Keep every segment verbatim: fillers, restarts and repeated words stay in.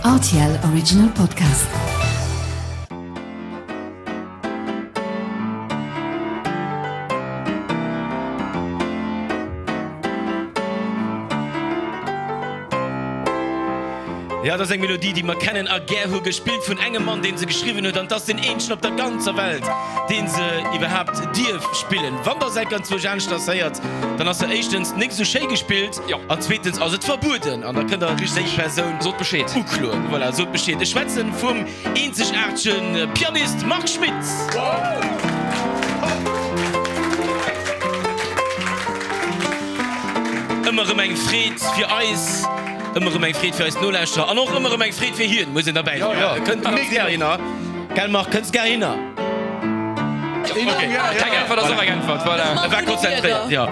R T L Original Podcast. Ja, dat ass eng Melodie, déi mer kennen a gär hu, gespillt vun engem Mann, deen se geschriwwen huet, an 't ass deen eenzegen op der ganzer Welt, deen se iwwerhaapt dierf spillen. Wann der se enk anzwousch aneschters héiert, dann ass se éischtens nik esou schéi gespillt an zweetens ass et verbueden an da kënnt der déi Persoun Sot Bescheed. ukloen. Voilà, sot Bescheed. Ech schwätzen vum eenzegaartege Pianist Marc Schmitt. Ëmmer erëm eng Freed fir eis, ëmmer erëm eng Freed fir eis Nolauschterer an och ëmmer erëm eng Freed fir hien, muss een derbäi soen. E kënnt ganz gär hinner. Gell Marc, kënns gär hinner? Okay. Keng Äntwert ass och eng Äntwert, voilà. E war konzentréiert, jo.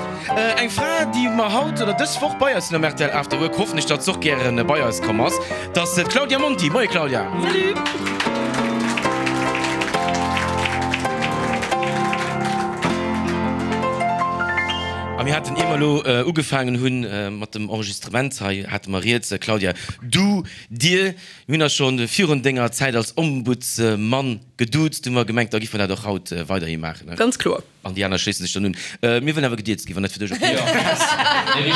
Eng Fra, déi mer haut oder dës Woch bei eis hunn am R T L After Work, hoffen ech, datt se och gären bei eis komm ass, dat ass d'Claudia Monti. Moie Claudia. Salut! A mir haten, ier mer elo ugefaangen hunn mat dem Enregistrement hei, hate mer rieds, Claudia, du, dir, mir hunn eis scho virun denger Zäit als Ombudsmann geduuzt, hu mer gemengt, da giffe mer dat och haut weiderhi maachen. Ganz kloer. An déi aner schléissen sech dann un. Mir wëllen awer gedierzt ginn, wann dat fir dech ok ass.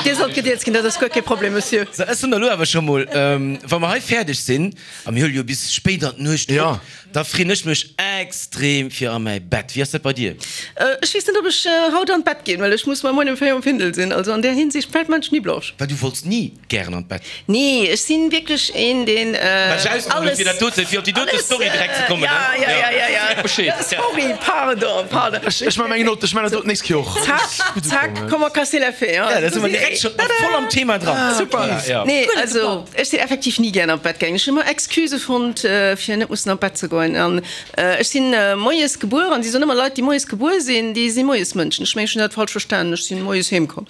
Dir sollt gedierzt ginn, dat ass guer kee Problem, Monsieur. Sou, ech soen der elo awer scho mol, wa mer hei fäerdeg sinn, a mir huele jo bis spéit an d'Nuecht op, da freeën ech mech extrem fir a mäi Bett. Wéi ass dat bei dir? Ech weess net, ob ech haut an d'Bett ginn, well ech muss mar muer um véier um Findel sinn. Also an där Hinsicht fält mer d'Schni blanche. Well du wollts ni gären an d'Bett? Nee, ech sinn wierklech een, deen alles. Wat ech ausgeholl hunn, fir dat dote, fir op déi dote Story direkt ze kommen, ne? Ja, ja, ja, ja, ja. Bescheed. Sorry, pardon, pardon. Ech maan meng Note, ech maan dat doten nächst Kéier och. Zack, zack, comment casser la fée, hein? Ja, da si mer direkt schonn voll am Thema dran. Super. Nee, also ech sinn effektiv ni gären an d'Bett gaangen. Ech hunn ëmmer Excusë fonnt, fir net mussen an d'Bett ze goen. An ech sinn moies gebuer an si soen ëmmer, Leit, déi moies gebuer sinn, déi si Moiesmënschen. Ech mengen, ech hunn dat falsch verstanen, ech sinn moies heem komm.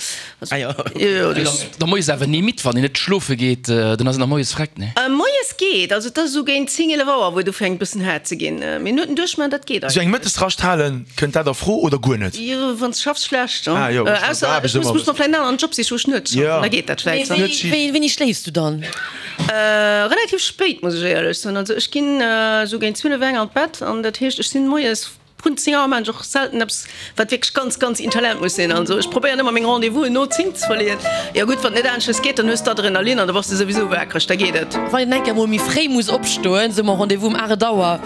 Ah jo. Jo, jo, dat. Da moies awer ni midd, wann een net schlofe geet, dann ass een nach moies vreckt, nee? Moies geet, also et ass esou géint zéng, eelef Auer, wou et ufänkt bëssen haart ze ginn. Mee no den duerchmaachen, dat geet Esou eng eigentlech. Mëttesrascht halen, kënnt dat a Fro oder guer net? Jo, wann s schaffs, schlecht, Ah jo, ech ausser aarbecht ech muss ëmmer muss mer vläicht en aneren Job sichen, wou ech net schaffen, da geet dat vläicht. Mee wéi, wéini schléifs du dann? Relativ spéit, muss ech éierlech soen. Also ech ginn esou géint zwielef, eng an d'Bett an dat heescht, ech sinn moies vrun zéng Auer, maachen ech och selten eppes, wat wierklech ganz, ganz intelligent muss sinn. Also ech probéieren ëmmer meng Rendez-vousen no zéng ze verleeën. Jo gutt, wann et net aneschters geet, dann hues de Adrenalin an da bass de souwisou waakreg, da geet et. Wann een eng Kéier mol méi fréi muss opstoen, soe mer Rendez-vous um aacht Auer,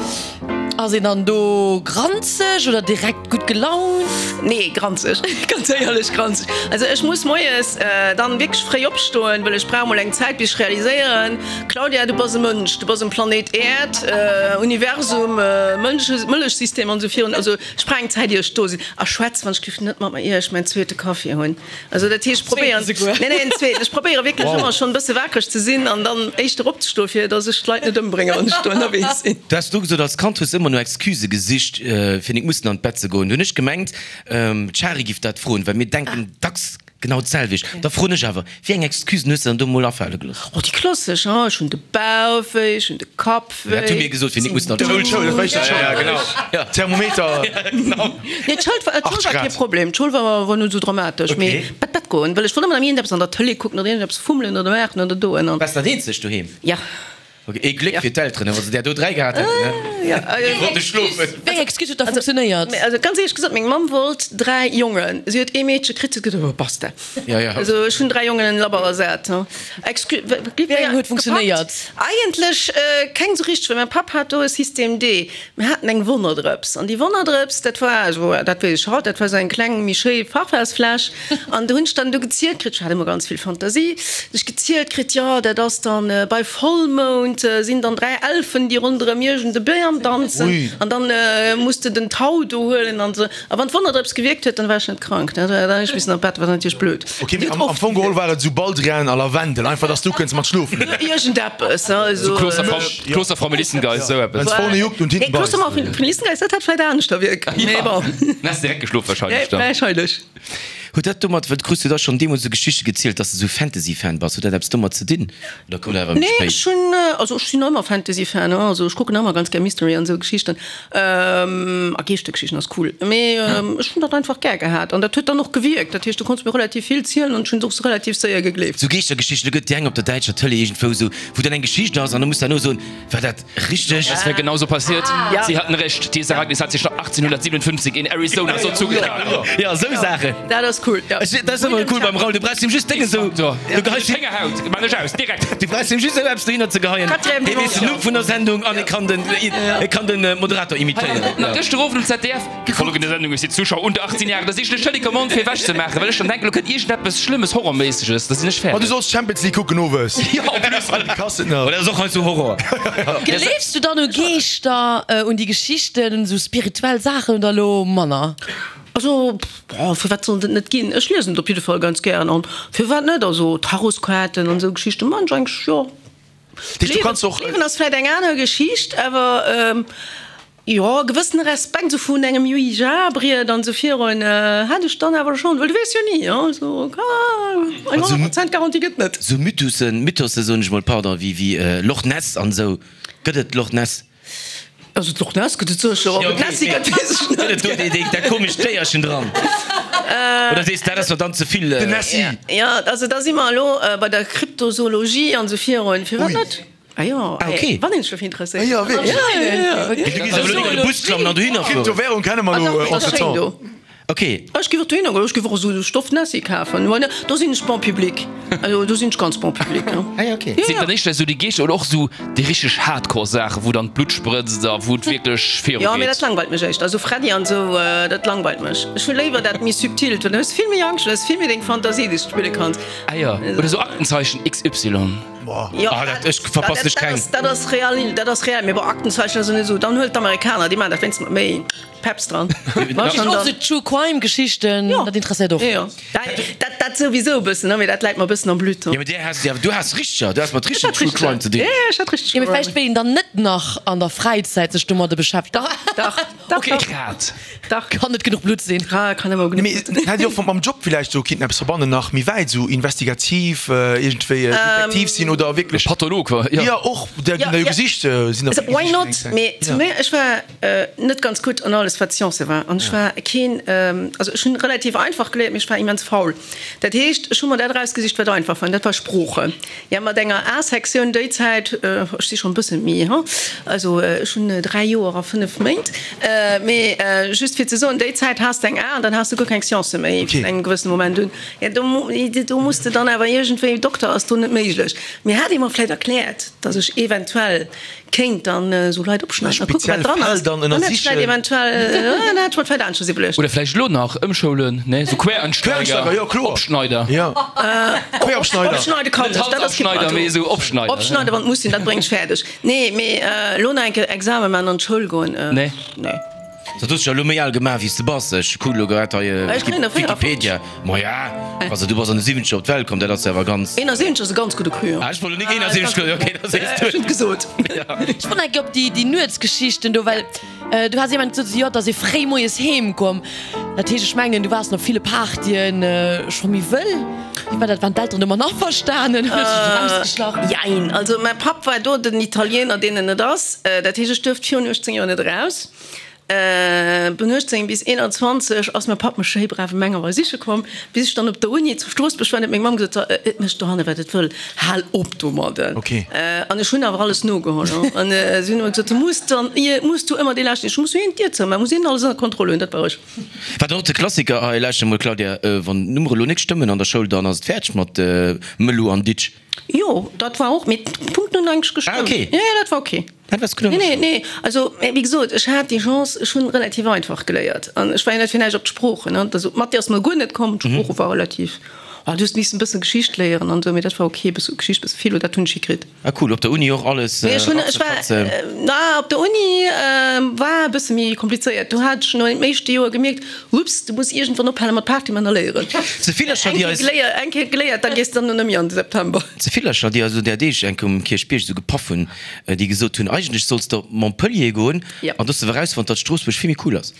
ass een dann do granzeg oder direkt gutt gelaunt? Nee, granzeg, ganz éierlech, granzeg. Also ech muss moies dann wierklech fréi opstoen, well ech brauch mol eng Zäit bis ech realiséieren, Claudia, du bass e Mënsch, du bass um Planéit Äerd, Universum, Mënsch, Mëllechsystem an esou virun. Also ech brauch eng Zäit ier ech do sinn. A schwätz wann ech giff net mat mer ier ech mäin zweete Kaffi hunn. Also dat heescht, ech probéieren, nee, nee, en zweeten, ech probéiere wierklech ëmmer schonn e bësse waakreg ze sinn an dann éischter opzestoen, fir datt ech d'Leit net ëmbrénge wann ech do ënnerwee sinn. Du has do gesot, als Kand hues de ëmmer no Excusë gesicht, fir nik mussen an d'Bett ze goen. Du hunn ech gemengt, d'Shari giff dat froen, well mir denken dacks genau d'selwecht. Da froen ech awer, wéi eng Excusen hues de dann do mol afale gelooss? Oh, déi klassesch, hein, ech hunn de Bauch wéi, ech hunn de Kapp wéi. Dat hu mir gesot, fir nik mussen an d'Schoul. D'Schoul, dat war éischter d'Schoul. Ja, genau. Ja. Thermometer. Ja, genau. Nee, d'Schoul war, d'Schoul war kee Problem. D'Schoul war, war net esou dramatesch. Mee Okay. Bett, Bett goen, well ech wollt ëmmer nach iergendeppes an der Tëlee kucken oder iergendeppes fummelen oder maachen oder doen an. Waars dat eenzegt doheem? Ja. Ok, ee Gléck fir d'Elteren, wa se där do dräi gehat hätten, ne? Déi wollte schlofen. Wéi eng Excuse huet da funktionéiert? Also ganz éierlech gesot, meng Mamm wollt dräi Jongen. Si huet ee Meedche kritt, si huet gesot, oh basta. Ja, ja. Also ech hunn dräi Jongen en Labber ersat. Excuse, Wéi eng huet funktionéiert? Eigentlech keng sou richteg, well mäi Papp hat do e System D. Mir haten eng Wonnerdrëps an déi Wonnerdrëps, dat war, also dat weess ech haut, dat war sou eng kleng, méi schéi Parfumsfläsch. An do hunn ech dann du gezielt kritt, ech hat ëmmer ganz vill Fantasie, hunn ech gezielt kritt, jo dat ass dann bei Vollmound sinn dann dräi Elfen, déi ronderëm iergend e Bam danzen an dann muss de den Tau do huelen an esou. A wann d'Wonnerdrëps gewierkt huet, dann war ech net krank, dann hunn ech missen an d'Bett, wat natierlech blöd. Ok, mee am Fong geholl war et esou Baldrian a Lavendel, einfach dass du kënns mat schlofen. Iergendeppes, also. Kloster Frau Melissengeist, esou eppes. Wenn's vorne juckt und hinten Nee, Kloster beißt. Frau Melissengeist, dat hätt vläit aneschter wierkt, mee bon. Dann häss de direkt geschlof wahrscheinlech dann. Wahrscheinlech. Huet dat domat, well krus du da schonn deemools esou Geschichte gezielt, dass de sou Fantasy-Fan bass, huet dat eppes domat ze dinn oder koum dat awer méi Nee, spéit? ech hunn, also ech sinn ëmmer Fantasy-Fan, ne, also ech kucken ëmmer ganz gär Mystery an esou Geschichten, a Geeschtergeschichten ass cool, mee ech hunn dat einfach gär gehat an dat huet dann och gewierkt, dat heescht du konns mir relativ vill zielen an ech hunn se och sou relativ séier gegleeft. Sou Geeschtergeschichten, do gëtt déi eng op der däitscher Tëlee iergendwou sou, wou dann eng Geschicht ass an du muss derno soen, war dat richteg? Das wär genauso passiert. Ja. Sie hatten recht, Dieses Ereignis hat sich achtzehnhundertsiebenundfünfzig in Arizona so zugetragen. Jo, esou Saachen. Dat ass cool, jo. Ech, dat ass ëmmer cool beim Raoul, du brauchs him just Dénge sou, du geheis him, Héngerhaut, man ech aus, direkt. du brauchs him just esou eppes dohinner ze geheien, Quatrième hie weess den Numm vun der Sendung an e kann den, e kann den Moderator imitéieren. Na, gëschter Owend um Z D F, Die folgende Sendung ist für Zuschauer unter achtzehn Jahren, da si ech lech Telecommande fir ewech ze maachen, well ech dann denken, lo kënnt iergendeppes Schlëmmes, Horrorméisseges, da sinn ech Ma du fäerdeg. solls Champions League kucken owes. Jo, en plus. Déi Kass et nach. Oder ass och hei sou Horror. Gleefs du dann u Geeschter, un déi Geschichten, un esou spirituell Saachen oder elo manner? Also, boah, firwat sollt et net ginn? Ech liesen et op jidde Fall ganz gären an firwat net? Also Tarotskaarten an esou Geschichten man ech eigentlech, jo. Du kanns och. D'Liewen ass vläit eng aner Geschicht, awer jo, e gewëssene Respekt esou vun engem Ouija-Briet an esou virun hat ech dann awer schonn, well du weess jo ni, also eng honnert Prozent Garantie gëtt net. Sou Mythussen, Mythosse soen ech mol, pardon, wéi wéi Loch Ness an esou, gëtt et Loch Ness? Also d'Loch Ness gëtt et sécher, ob et Nessie gëtt, weess ech net. Gëtt et do dee, dee, dat komescht Déierchen dran? Oder sees dat ass mer dann ze vill? Den Nessie. Jo, also da si mer elo bei der Kryptozoologie an esou virun. Firwat net? Ah jo, Ah, okay. wann een sech dofir interesséiert. Ah jo, wierklech? Ja, ja, ja. Du gees awer elo net an de Bus klammen an dohinner fueren. Kryptowährung kenne mer Ah elo dach, dat ass schéin entretemps. do. Ok. Ech géif och dohinner goen, ech géif och esou e Stoff-Nessie kafen. Why not? Do sinn ech bon public. Also do sinn ech ganz bon public, jo. Ah ja, ok. Ja, Sinn ja. dann éischter esou déi Geeschter oder och esou déi richteg Hardcore-Saachen, wou dann d'Blutt sprëtzt a wou et wierklech viru Jo, mee dat geet? langweilt mech éischter. Esou Freddy an esou, dat langweilt mech. Ech hu léiwer dat méi subtilt, well dann hues de vill méi Angscht, du hues vill méi deng Fantasie, déi s de spille kanns. Ah jo, oder esou Aktenzeichen X Y. Jo, Ah, dat, ech verpassen ech dat keng. ass, dat ass real, dat ass real. Mee bon, Aktenzeichen ass net esou. Dann huel d'Amerikaner, déi maachen dat wéinstens mat méi Peps dran. War schon Och dann. sou True Crime Geschichten, Jo. dat interesséiert och. Jo, jo. Dat, dat, dat souwisou e bëssen, ne, mee dat läit mer e bëssen am Blutt. Jo, mee där has, ja, du has richteger, du has mat Ech richtegen hat True richteger. Crime ze dinn. Ja, ja, ech hat richteg Jo, mee Crime. vläicht wéilt een dann net nach an der Fräizäit sech domadde beschäftegen. Dach, dach, Okay, dach, grad. dach. Kann net genuch Blutt sinn. Ah, kann ëmmer genuch Mee Blutt. hätt Dir och mam Job villäicht sou kinnten eppes verbannen, nach méi wäit, sou investigativ, iergendwéi Detektiv sinn oder wierklech. Patholog, wa? Jo. Jo, och, der Ja, ginn der jo ja. gesicht, sinn der Also, vill why gesicht not? eng Zäit. Mee zu mir, ech war net ganz gutt an alles wat Science war an ech war keen, also ech hunn relativ einfach geléiert, mee ech war immens faul. Dat heescht, ech hu mer dat erausgesicht wat einfach war, an dat war Sproochen. Ja, mat enger A-Sektioun déi Zäit, ech si schonn e bëssen méi, ha, also ech hunn dräi Joer a fënnef Méint, mee just fir ze soen, déi Zäit has de eng A an dann has de guer keng Science méi vun engem gewëssene Moment un. Ja, do, do muss de dann awer iergendwéi, Dokter ass do net méiglech. Mee hat ee mer vläicht erkläert, datt ech eventuell kéint dann esou Leit opschneiden a kucken, wat Speziell dran Fäll ass, dann dann hätt ech vläicht ënnersichen. eventuell, dann hätt ech mer vläicht aneschters iwwerluecht. Oder vläicht elo nach ëmschoulen, ne, sou Quereinsteiger, Quereinsteiger, jo, kloer. Opschneider. Jo, Queropschneider. Opschneide kann Net ech, dat ass kee Halsabschneider, Problem. mee esou Opschneider. Opschneide wann et muss sinn, dat bréngt ech fäerdeg. Nee, mee elo nach eng Kéier Examen maachen an d'Schoul goen, Nee. nee. Dat hues dech jo elo méi al gemaach wéi s de bass. Ech kucken elo grad hei Ech kréien der Wikipedia. Maja, also du bass an de Siwwenzeger op d'Welt komm, dat ass jo awer ganz. Eenasiwwenzeg ass e ganz gudde Cru. Ah, ech wollt elo nik eenasiwwenzeg, okay, da sees du Ech hunn et gesot. Ech wollt enke op déi déi Nuetsgeschichten do, well du has jemand gesot, jo, dass ee fréi moies heem komm. Dat heescht, ech mengen, du waars op ville Partyen scho méi wëll. Wéi war dat, waren d'Elteren domat averstanen? Huet sech erausgeschlach? Jein, also mäi Papp war do den Italiener, deen en net ass. Dat heescht, ech duerft virun uechtzéng Joer net eraus. Vun uechtzéng bis eenanzwanzeg ass mäi Papp mech schéi brav ëm enger Auer siche komm, bis ech dann op der Uni zu Stroossbuerg war, huet meng Mamm gesot, So, et mécht dohanne wat et wëll, hal op domadden. An ech hunn awer alles nogeholl. An si hunn ëmmer gesot, Du muss dann, muss du ëmmer dee Leschten, ech muss hien d'Dier zoumaachen, muss hien alles ënner Kontroll hunn, dat war ech. Wat och de Klassiker, hei lauschter mol Claudia, wann d'Nummere lo nik stëmmen an der Schoul, dann ass et fäerdeg mat Mëllu an Ditsch. Jo, dat war och, mee d'Punkten hunn eigentlech gestëmmt. Ah, okay. Jo, jo, dat war okay. Dat war gutt. Nee, nee, nee. Also, wéi gesot, ech hat déi Chance, ech hunn relativ einfach geléiert. An ech war jo net fir näischt op d'Sproochen, ne. Also, Mathé ass mer guer net komm, d'Sprooche war relativ Oh, du hues missen e bëssen Geschicht léieren an esou, mee dat war ok, bësse Geschicht, bësse Philo, dat hunn ech hikritt. Ah cool, op der Uni och alles Nee, ech hunn, ech war, ratzefatze? na, op der Uni war e bësse méi komplizéiert. Do hat ech no dem éischte Joer gemierkt, Ups, du muss iergendwann ophale mat Party man a léieren. Ze villercher, Eng déi Kéier eis. geléiert, eng Kéier geléiert, da gees de dann no nëmme an de September. Ze villercher, déi eis un där Deeg enk um Kierchbierg esou gepaff hunn, déi gesot hunn, eigentlech solls de op Montpellier goen, Ja. an do hues de erausfonnt, datt Stroossbuerg vill méi cool ass.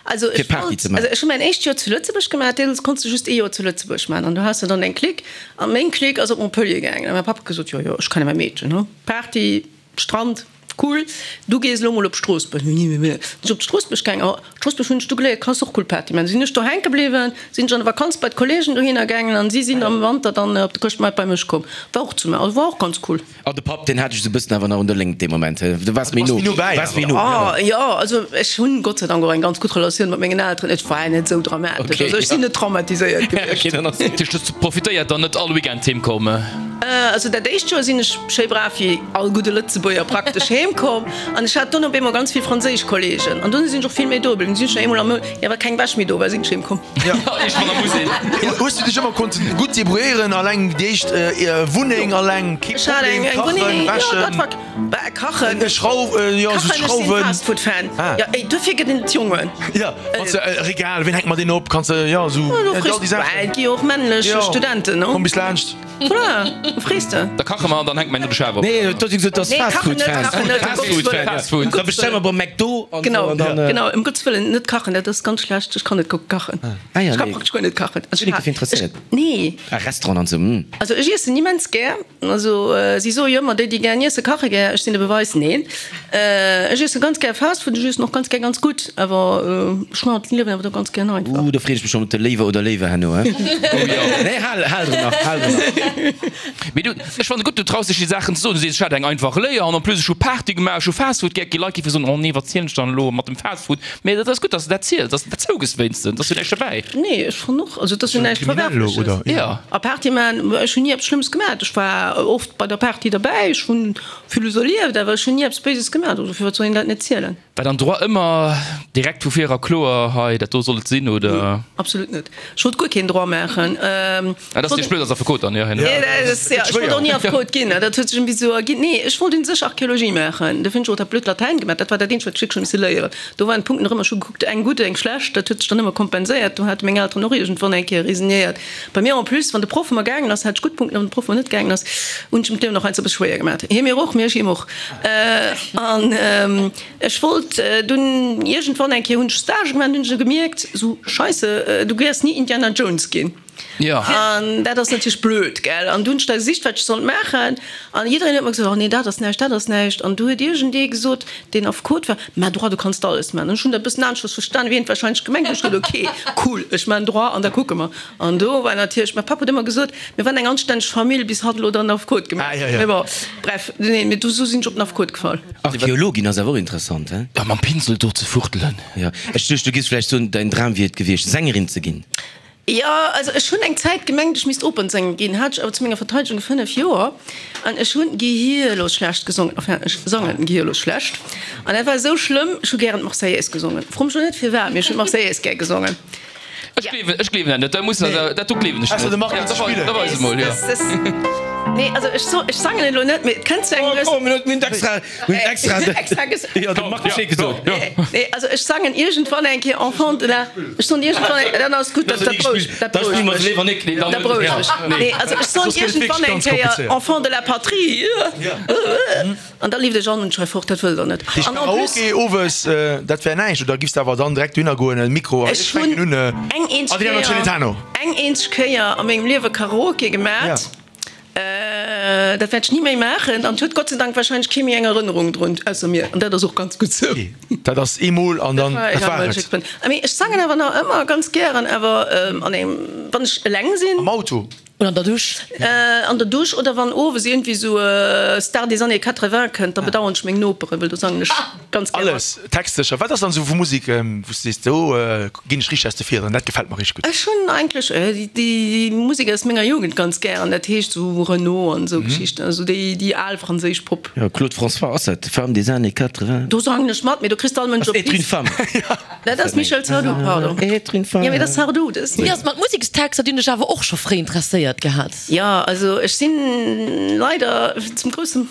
Also Fir ech Party wollt, ze maachen. also ech hu mäin éischt Joer zu Lëtzebuerg gemaach, deemools konns de just ee Joer zu Lëtzebuerg maachen an du has de dann eng Clique an meng Clique ass op Montpellier gaangen an mäi Papp huet gesot, jo jo, ech kenne mäi Meedchen, hu, Party, Strand, cool, du gees elo mol op Stroossbuerg. Sinn ech op Stroossbuerg gaangen, a Stroossbuerg hunn ech du geléiert, kanns och cool Party maachen. Sinn ech do hänke bliwwen, sinn ech an der Vakanz bei d'Kollegen dohinner gaangen an si sinn am Wanter dann op de Chrëschtmaart bei mech komm. War och zu, also war och ganz cool. An de Papp, deen hat dech esou e bëssen awer nach un der Léngt dee Moment, he? Du waars méi no, waars méi no. Oh, jo, also ech hunn Gott sei Dank och eng ganz gutt Relatioun mat mengen Elteren. Et war net esou dramatesch. Okay, Also ech sinn net traumatiséiert gewiescht. Okay, dann ass gutt. Hues du profitéiert dann net all Weekend heem komm? Also dat éischt Joer sinn ech schéi brav wéi all gudde Lëtzebuerger praktesch heem komm an ech hat dunn op eemol ganz vill franséisch Kollegen an dunn sinn ech och vill méi do bliwwen. Sinn ech eemol am Mount, jo, well keng Wäsch méi do war, sinn ech heem komm. Iergendwann am Musée. Hues du dech ëmmer konnten gutt débrouilléieren, alleng déi éischt Wunneng alleng, kee Ech hat eng Problem, eng kachen, Wunneng, jo, wäschen, dat war bah, kachen, Schrauw, jo, esou kachen, ech sinn Schrauwen. Fastfood-Fan. Ah. Jo, ey, duerfir gëtt een et Jongen. Jo, wanns de Regal, ween hänkt mer deen op, kanns de, jo, esou, Jo, du all frees, déi bah, Saachen. et gi jo och männlech Jo, Studenten, no? komm bis laanscht. Voilà, du frees de. Da kache mer an dann hänke mer en no de Schaf op. Nee, du hues gesot, dass Nee, kachen net, Fastfood-Fans. kachen net, ëm Gottes Fastfood-Fan, Wëllen. ja. Fastfood. Ëm Da Gottes bestelle mer Wëllen. beim McDo an Genau, esou an dann. genau, ëm Gottes Wëllen, net kachen, dat ass ganz schlecht, ech kann net gutt kachen. Ah ja, Ech ka nee. praktesch guer net kachen. Also Sinn ech ech dofir interesséiert. ech, nee. Ah, Restaurant an esou, hm. Also ech iessen immens gär. Also si soe jo ëmmer, déi déi gär iessen, kache gär. Ech sinn de Beweis, neen. Ech iessen ganz gär Fastfood, ech iessen och ganz gär ganz gutt, awer ech maachen d'Liewen awer do ganz gär einfach. Uh, do freet ech mech schonn op de Léiwer oder Léiwe herno, he? Oh jo. Nee, hal, hal dru nach, hal dru nach. Mee du, ech fannen et gutt, du traus dech déi Saachen ze soen. Du sees, ech hat eng einfach Léier an en plus ech hu Party gemaach, ech hu Fastfood gär. Gi Leit géife soen, oh nee, wat zielen ech dann elo mat dem Fastfood? Mee dat ass gutt, dass de dat ziels, dass de dat zougëss wéinstens, dass du näischt derbäi. Nee, ech fannen och, also et ass jo näischt Kriminell elo, Verwerfleches. oder? Ja. A Party man, ech hunn ni eppes Schlëmmes gemaach. Ech war oft bei der Party derbäi, ech hunn villes erlieft, awer ech hunn ni eppes Béises gemaach. Also firwat soll een dat net zielen? War dann Droit ëmmer direkt vu vir era kloer, hei dat do soll et sinn, oder? Nee, absolut net. Ech wollt guer keen Droit maachen. Ah, dat ass dir blöd als Affekot dann, jo, herno. Nee, dat ass, ja, ech wollt och ni Affekot ginn, dat huet sech iergendwéi esou erginn. Nee, ech wollt un sech Archäologie maachen. Dofir hunn ech och dat blöd Latäin gemaach. Dat war dat eenzegt, wat ech wierklech hu misse léieren. Do waren d'Punkten och ëmmer, ech hu gekuckt, eng gutt, eng schlecht, dat huet sech dann ëmmer kompenséiert. Do hate meng Elteren och iergendwann eng Kéier resignéiert. Bei mir en plus, wann de Proff ëmmer gaangen ass, hat ech gutt Punkten, wann de Proff ëmmer net gaangen ass, hunn ech em d'Liewen och heiansdo e bësse schwéier gemaach. Hie mir och, mee ech him och. An ech wollt dunn iergendwann eng Kéier hunn ech Stage gemaach an hunn ech gemierkt, sou Scheisse, du wäers ni Indiana Jones ginn. Jo. An dat ass natierlech blöd, gell. An du hunn ech da gesicht, wat ech sollt maachen. An jiddereen huet mer gesot, oh nee, dat ass näischt, dat ass näischt. An du huet iergendee gesot, deen Affekot war, mä Droit, du kanns alles maachen. An ech hunn dat e bëssen aneschters verstanen, wéi hien et warscheinlech gemengt huet. Ech gesot, okay, cool, ech maachen Droit an da kucke mer. An do war natierlech, mäi Papp huet ëmmer gesot, mir waren eng anstänneg Famill, bis hatt elo dann Affekot gemaach huet. Mee bon, bref, nee, mee du, sou sinn ech op den Affekot gefall. Archäologin ass awer och interessant, he? Ja, mam Pinsel do ze fuchtelen. Jo, ech duecht, du giffs vläicht soen, däin Dram wier et gewiescht, Sängerin ze ginn. Jo, also ech hunn eng Zäit gemengt, ech misst Opernsänger ginn, hat ech awer zu menger Verteidegung fënnef Joer, an ech hunn gehirlos schlecht gesongen, enfin ech sangen gehirlos schlecht, an dat war esou schlëmm, ech hu gären d'Marseillaise gesongen, fro mech elo net firwat, mee ech hunn d'Marseillaise gär gesongen. Ech gleewen, ech gleewen dat net, dat muss, dat do gleewen ech net. Da weis emol, jo. Nee, also ech so, ech sangen elo net, mee et kënnt zu engem Oh, mir hunn extra, mir hunn extra, extra ges jo, de Marc Bescheed gesot. Nee, also ech sangen iergendwann eng Kéier Enfant de la, ech soen iergendwann eng, dann ass gutt, dat dat berouegt, dat berouegt mech. Dat berouegt mech. Nee, also ech soen iergendwann eng Kéier Enfant de la patrie, an da leeft ech an und schrei fort, dat wëllt der net. An en plus. Karaoke owes, dat wär näischt, oder giffs de awer dann direkt dohinner goen, Mikro, Ech hunn eng eenzeg Kéier, eng eenzeg Kéier a mengem Liewe Karaoke gemat. Dat wäert ech ni méi maachen an et huet Gott sei Dank wahrscheinlech kee méi eng Erënnerung drun, ausser mir. An dat ass och ganz gutt sou. Dat ass eemol an dann, dat war et. Mee ech sangen awer nach ëmmer ganz gären, awer an engem, wann ech eleng sinn. Am Auto? Oder an der Dusch. An der Dusch oder wann owes iergendwéi sou Star des années quatre-vingts kënnt, da bedauern ech meng Noperen, well do sangen ech ganz gär mat. Alles textsécher. Wat ass dann sou vu Musek, wou s de sees, do ginn ech richteg aus de Fiederen, dat gefält mer richteg gutt? Ech hunn eigentlech déi Musek aus menger Jugend ganz gär an dat heescht sou Renaud an esou Geschichten, also déi déi al franséisch Pop. Jo, Claude François ass dat, Femme des années quatre-vingts. Do sangen ech mat, mee do kriss de all Mënsch op Ass Être une d'Piss. femme. Dat ass Michel Sardou, pardon. Être une femme. Jo, mee dat ass Sardou, dat ass. Wéi ass et mat Musekstexter? Déi hunn dech awer och scho fréi interesséiert gehat. Jo, also ech sinn leider zum groussen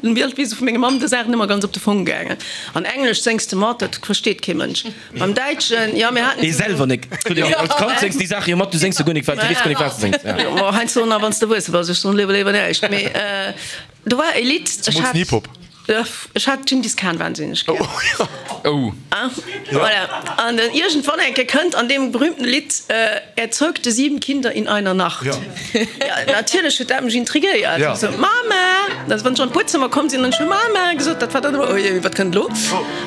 Leedwesen vu menger Mamm der Saach nëmmer ganz op de Fong gaangen. An Englesch séngs de mat, dat versteet kee Mënsch. Beim Däitschen, jo, mir haten. Ee selwer nek. Als Kand séngs déi Saache jo mat, du séngs jo guer nik, wat, du weess guer nik, wat s de séngs. Jo, heiansdo nach, wann s de erwuesse bass. Ech soen léiwer léiwer näischt. Mee do war e Lidd, ech Zemools den hat. Hip-Hop. Ech hat Dschingis Khan wahnsinneg gär. Oh. Voilà. An dann iergendwann eng Kéier kënnt an deem berühmten Lidd, Er zeugte sieben Kinder in einer Nacht. Ja. Ja, natierlech huet dat mech intrigéiert. Ja. Ech sou, Mama! Also wann ech an d'Buedzëmmer komm sinn, hunn ech scho Mama gesot. Dat war dann ëmmer, Oh jee, wat kënnt elo?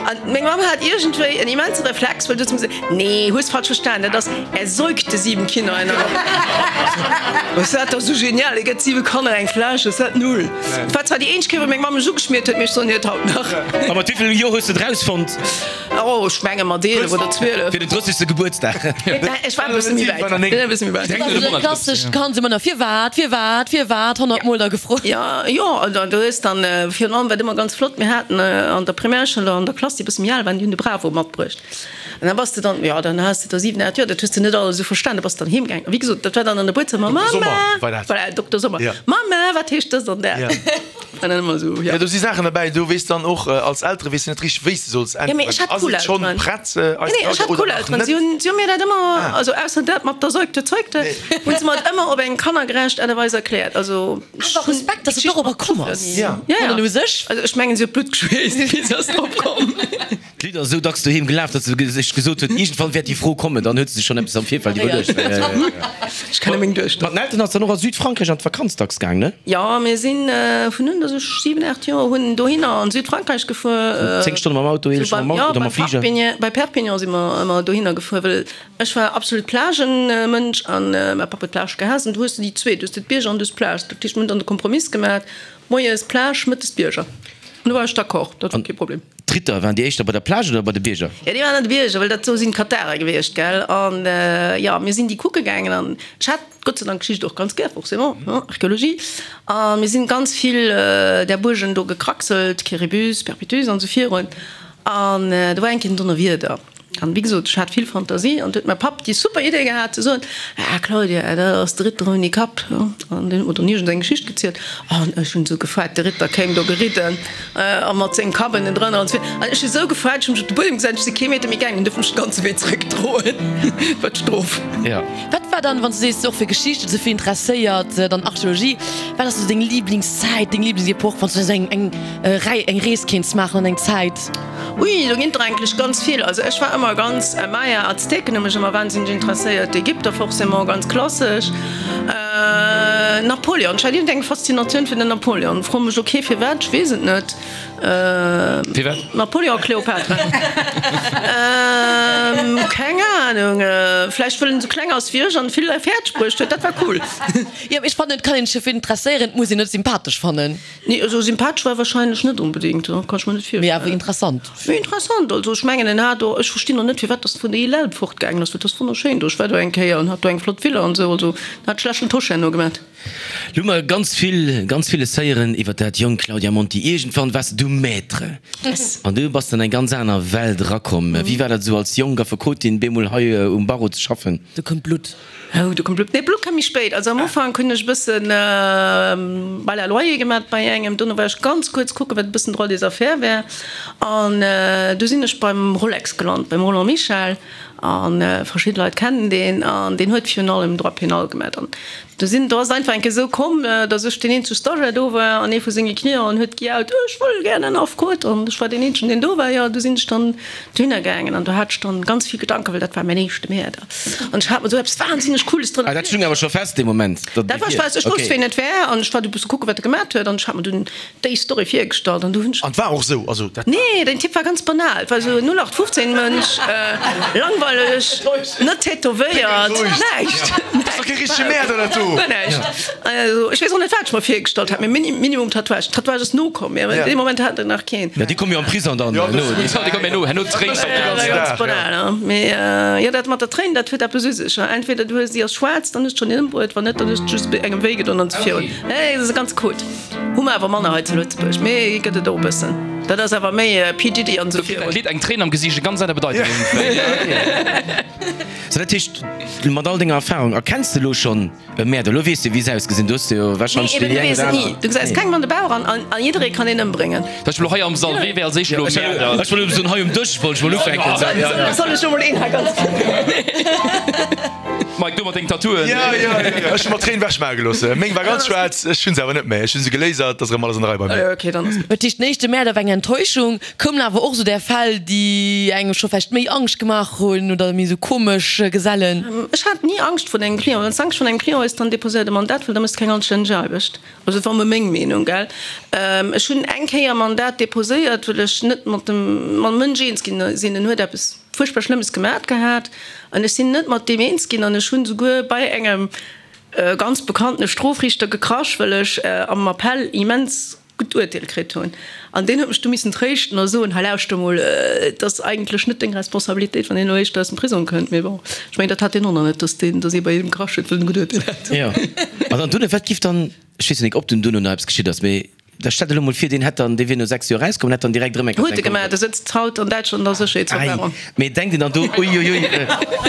An meng Mamm hat iergendwéi en immense Reflex, well du huet se mir gesot, Nee, hues falsch verstan, dat ass, Er säugte sieben Kinder in einer Nacht. Ech sot, Dat ass sou genial, e gëtt siwe Kanner eng Fläsch. Ech sot, Null. Et war zwar déi eenzeg Kéier, wou meng Mamm mech ugeschmiert huet, mee ech soen hir et haut nach. A mat wéi vill Joer hues de et rausfonnt? Oh, ech menge mat eelef oder zwielef. Fir den drëssegste Gebuertsdag. Ech war e bësse méi wäit. E bësse méi wäit. Dat ass esou e klassescht Kand, ëmmer nach Firwat, firwat, firwat honnert Mol da gefrot. Jo, jo, an du hues dann, virun allem wat ëmmer ganz flott, mir haten an der Primärschoul an der Klass, déi e bësse méi al waren, déi hunn de Bravo matbruecht. An da bass de dann, jo, dann has de der siwen, aacht Joer, dat hues de net alles esou verstan, da bass de dann heem gaangen. A wéi gesot, dat war dann an der Buedzëmmer, Dokter Sommer Mama, war dat. voilà, Dokter Sommer, Ja. Mama, wat heescht dëst an dat? Ja. War dann ëmmer esou, Ja, ja. do si Saachen derbäi, do weess dann och als Eltere weess de net richteg, wéi s de solls Ja, mee ech äntweren. hat Ass cool et schonn Elteren. prett, Nee, eis nee, ech Elteren hat oder cool nach Elteren. net? Si hunn, si hunn mir dat ëmmer, Ah. also ausser dat mat der Säugte, Zeugte, Nee. hunn se mer et ëmmer op eng kannergerecht Aart a Weis erkläert. Also, ech Awer hunn Respekt, dass de dorobber komm ass. Ja. Ja, ja. An u sech. Also ech mengen, si huet Blutt geschweesst, wéi se ass drop komm. D'Lidd ass esou dacks doheem gelaf, datt se sech gesot huet, iergendwann wäert déi Fro kommen. Dann huet se sech schonn eppes am Virfeld iwwerluecht. Ech kenne meng Duechter. Mat den Elteren ass dann och a Südfrankräich an d'Vakanz dacks gaang, ne? Jo, mir si vun un, datt ech siwen, aacht Joer hunn, dohinner an Südfrankräich gefuer. Zéng Stonne mam Auto, eelef Stonne mam Auto oder mam Fliger? Bei Perpignan si mer ëmmer dohinner gefuer, well ech war absolut Plagenmënsch an mäi Papp huet d'Plage gehaasst. An du hues de déi zwee, du hues de d'Bierger an du hues d'Plage. Dat heescht, mir hunn dann de Kompromiss gemaach, moies Plage, mëttes Bierger. An do war ech d'accord, dat war kee Problem. D'Ritter, waren déi éischter bei der Plage oder bei de Bierger? Jo, déi waren an de Bierger, well dat do sinn d'Katharer gewiescht, gell. An jo, mir sinn déi kucke gaangen an ech hat Gott sei Dank Geschicht och ganz gär, forcément, ne, Archéologie. A mir sinn ganz vill där Buergen do gekraxelt, Quéribus, Perpétuus an esou virun. An do war eng Kéier en Donnerwieder. An wéi gesot, ech hat vill Fantasie an du huet mäi Papp déi super Idee gehat ze soen, Ah Claudia, dat ass de Ritter ouni Kapp. An deen huet mer dann iergend eng Geschicht gezielt an ech hunn esou gefreit, de Ritter kéim do geridden a mat sengem Kapp ënnendrënner an esou. An ech hu sou gefreit, ech hu mech op de Buedem gesat, ech si kee Meter méi gaangen, dunn duerf mech de ganze Wee zeréckdroen. Wat d'Strof. Wat war dann, wann s du sees, och fir Geschicht esou vill interesséiert, dann Archeologie, wat ass esou deng Liblingszäit, deng Liblingsepoch, wann s du esou eng eng Rei, eng Rees kéints maachen an eng Zäit? Ui, do ginn der eigentlech ganz vill. Also ech war ëmmer ganz, Maya, Azteken hu mech ëmmer wahnsinneg interesséiert, d'Ägypter forcément, ganz klassesch, Napoleon, ech hat iergendeng Faszinatioun fir den Napoleon, fro mech ok firwat, ech weess et net. Firwat? Napoleon a Kleopatra. Keng Ahnung, vläicht wëll en esou kleng ass wéi ech an vill fäerdeg bruecht huet, dat war cool. Jo, mee ech fannen, et kann een sech fir interesséieren, et muss een net sympathesch fannen. Nee, also sympathesch war e wahrscheinlech net onbedéngt, kann ech mer net Mee awer virstellen. interessant. Mee interessant, also ech mengen en hat do, ech verstinn och net firwat dass en vun der Île Elbe fortgaangen ass, well et ass wonnerschéin do, ech war do eng Kéier an hat do eng flott Villa an esou, also en hat schlechten Tosch herno gemat. Lo hu mer ganz vill, ganz villes héieren iwwer dat jonk Claudia Monti. Iergendwann waars du Maître an du bass an eng ganz aner Welt erakomm. Wéi war dat esou als jonk Affekotin bemol hei um Barreau ze schaffen? Do koum d'Blutt. Oh, do koum d'Blutt. Nee, d'Blutt koum méi spéit. Also am Ufank hunn ech e bëssen Bail à loyer gemat bei engem. Dono war ech ganz kuerz kucken, wat e bëssen Droit des affaires wär. An du sinn ech beim Rolex gelant, beim Roland Michel. A verschidde Leit kennen deen. An deen huet virun allem Droit pénal gemat. An do sinn, do ass et einfach eng Kéier esou komm, datt ech deen eenzege Stagiaire do war an ee vu senge Clienten huet gejaut, Ech wëll gär en Affekot. An ech war deen eenzegen, deen do war. Jo, du sinn ech dann dohinner gaangen an do hat ech dann ganz vill Gedanken, well dat war mäin éischte Mäerder. An ech hat mer esou eppes wahnsinneg Cooles drënner Ah, dat stung awer scho fest dee Moment, datt Dat war fest. Ech wousst, ween et war an ech war du e bësse kucken, wat e gemat huet an ech hat mer dunn déi Story virgestallt an du hunn ech. An et war och esou, also dat. Nee, den Typ war ganz banal. Et war esou en null acht fünfzehn Mënsch, langweileg, net tätowéiert, näischt. ass doch kee richtege Mäerder, dat do. Guer näischt. Also, ech weess och net, wat ech mer virgestallt hat, mee Minimum Tatouage. Tatouage ass nokomm, mee an deem Moment hat en nach keen. Ja, déi komme jo am Prison dann Ja, no. das Déi komme herno, herno drénks de Ja, op de ganzen ganz Dag, banal, ja. ne? Mee jo, dat mat der Tréin, dat huet eppes u sech. Entweder du hues, déi ass schwaarz, dann hues de schonn een ëmbruet, wann net, dann hues de just engem wéi gedoen an esou virun. Nee, dat ass e ganze Code. Hu mer awer manner hei zu Lëtzebuerg, mee gëtt et och e bëssen. Dat ass awer méi P. Diddy an esou Dat virun. Lidd Eng Tréin am Gesiicht, e ganz aner Bedeitung. So, dat heescht, mat all denger Erfahrung, erkenns de elo schonn e Mäerder? Elo weess de, wéi se ausgesinn. Du hues de jo Nee, warscheinlech eben, déi du eng weess oder et ni. aner. Du gesäis kengem an de Bauch an a jidderee kann een ëmbréngen. Dat heescht, elo hei am Sall, wee wär als éischt elo e Mäerder? Ech wollt elo soen, hei um Dësch wollt ech mol ufänken. Soll, soll, soll ech elo mol een hei ganz. Mike, du mat dengen Tattooen. Ja, ja, ja, ja. Ech hu mer d'Tréin wechmaache gelooss. Meng war ganz schwaarz, ech hunn se awer net méi. Ech hunn se gelasert, ass erëm alles an der Rei bei mir. Okay, dann ass gutt. Dat heescht, den éischte Mäerder war eng Enttäuschung. Koumen awer och sou där Fäll, déi engem scho vläicht méi Angscht gemaach hunn oder méi sou komesch Gesellen? Ech hat ni Angscht vrun engem Client. Wann s Angscht vrun engem Client hues, dann deposéier de Mandat, well da méchs de keng anstänneg Aarbecht. Also dat war emol meng Meenung, gell. Ech hunn eng Kéier e Mandat deposéiert, well ech net mat dem mam Mënsch eens ginn sinn. En huet eppes fuerchtbar Schlëmmes gemat gehat an ech sinn net mat deem eens ginn an ech hunn souguer bei engem ganz bekanntene Strofriichter gekrasch, well ech am Appell immens gutt Urteel kritt hunn. An deen huet mech du missen tréischten a soen, hei lauschter mol, et ass eigentlech net deng Responsabilitéit, wann een elo éischter aus dem Prisong kënnt. Mee bon, ech mengen, dat hat deen och nach net, dass deen, dass ee bei him gekrasch huet, well en e gutt Urteel hat. Jo. An dann duerno, wat giff dann, ech weess jo nik, ob dunn duerno nach eppes geschitt ass, mee da stell der elo mol vir, deen hätt dann, dee wier no sechs Joer erauskomm an hätt dann direkt erëm eng Huet e gemaach, de sëtzt haut an Däitschland an der Sécherheetsverwahrung. Ei, mee denkt een dann do, uiuiui,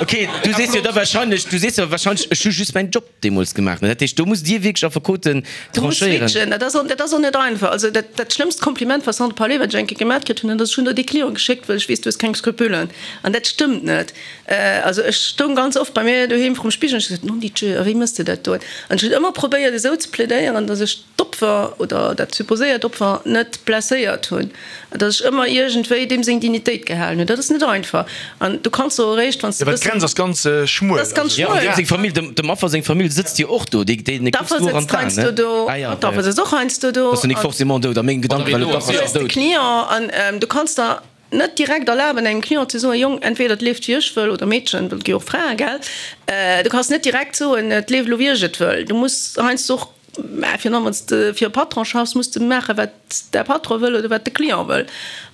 okay, du sees jo da wahrscheinlech, du sees jo wahrscheinlech, ech hu just mäin Job deemools gemaach, ne? Dat heescht, do musst Dir wierklech Affekoten Du muss tranchéieren. switchen, dat ass och, dat ass och net einfach. Also dat, dat schlëmmst Kompliment, façon de parler, wat ech eng Kéier gemat kritt hunn, dat ass, ech hunn der déi Clienten geschéckt, well ech weess, du hues keng Skrupelen. An dat stëmmt net. Also ech stoung ganz oft bei mir doheem vrum Spigel an ech hu gesot, Non Dieu, a wéi mëss de dat do? An ech hunn ëmmer probéiert, esou ze plädéieren, datt ech d'Opfer oder dat supposéiert Opfer net blesséiert hunn, datt ech ëmmer iergendwéi deem seng Dignitéit gehalen hunn. Dat ass net einfach. An du kanns och eréischt, wann s de Ja, well bëssen. d'Grenz ass ganz schmuel. Dat ass ganz Ja, an schmuel. deem seng Famill, dem, dem Affer seng Famill sëtzt jo och do. Déi, déi kucks D'Affer du och an sëtzt d'Aen, heiansdo ne? do. Ah ja, D'Affer ja. sëtzt och heiansdo do. Ass jo nik An forcément dout. A mengem Gedanke war elo, d'Affer du ass hues de dout. Client an du kanns der net direkt erlaben, engem Client ze soen, Jong, entweder et leeft wéi ech wëll oder Meedchen, well et gi och Frae, gell? Du kanns net direkt soen, et leeft elo wéi ech et wëll. Du muss heiansdo och, mä virun allem wann s de fir e Patron schaffs, muss de maachen, wat däi Patron wëll oder wat de Client wëll.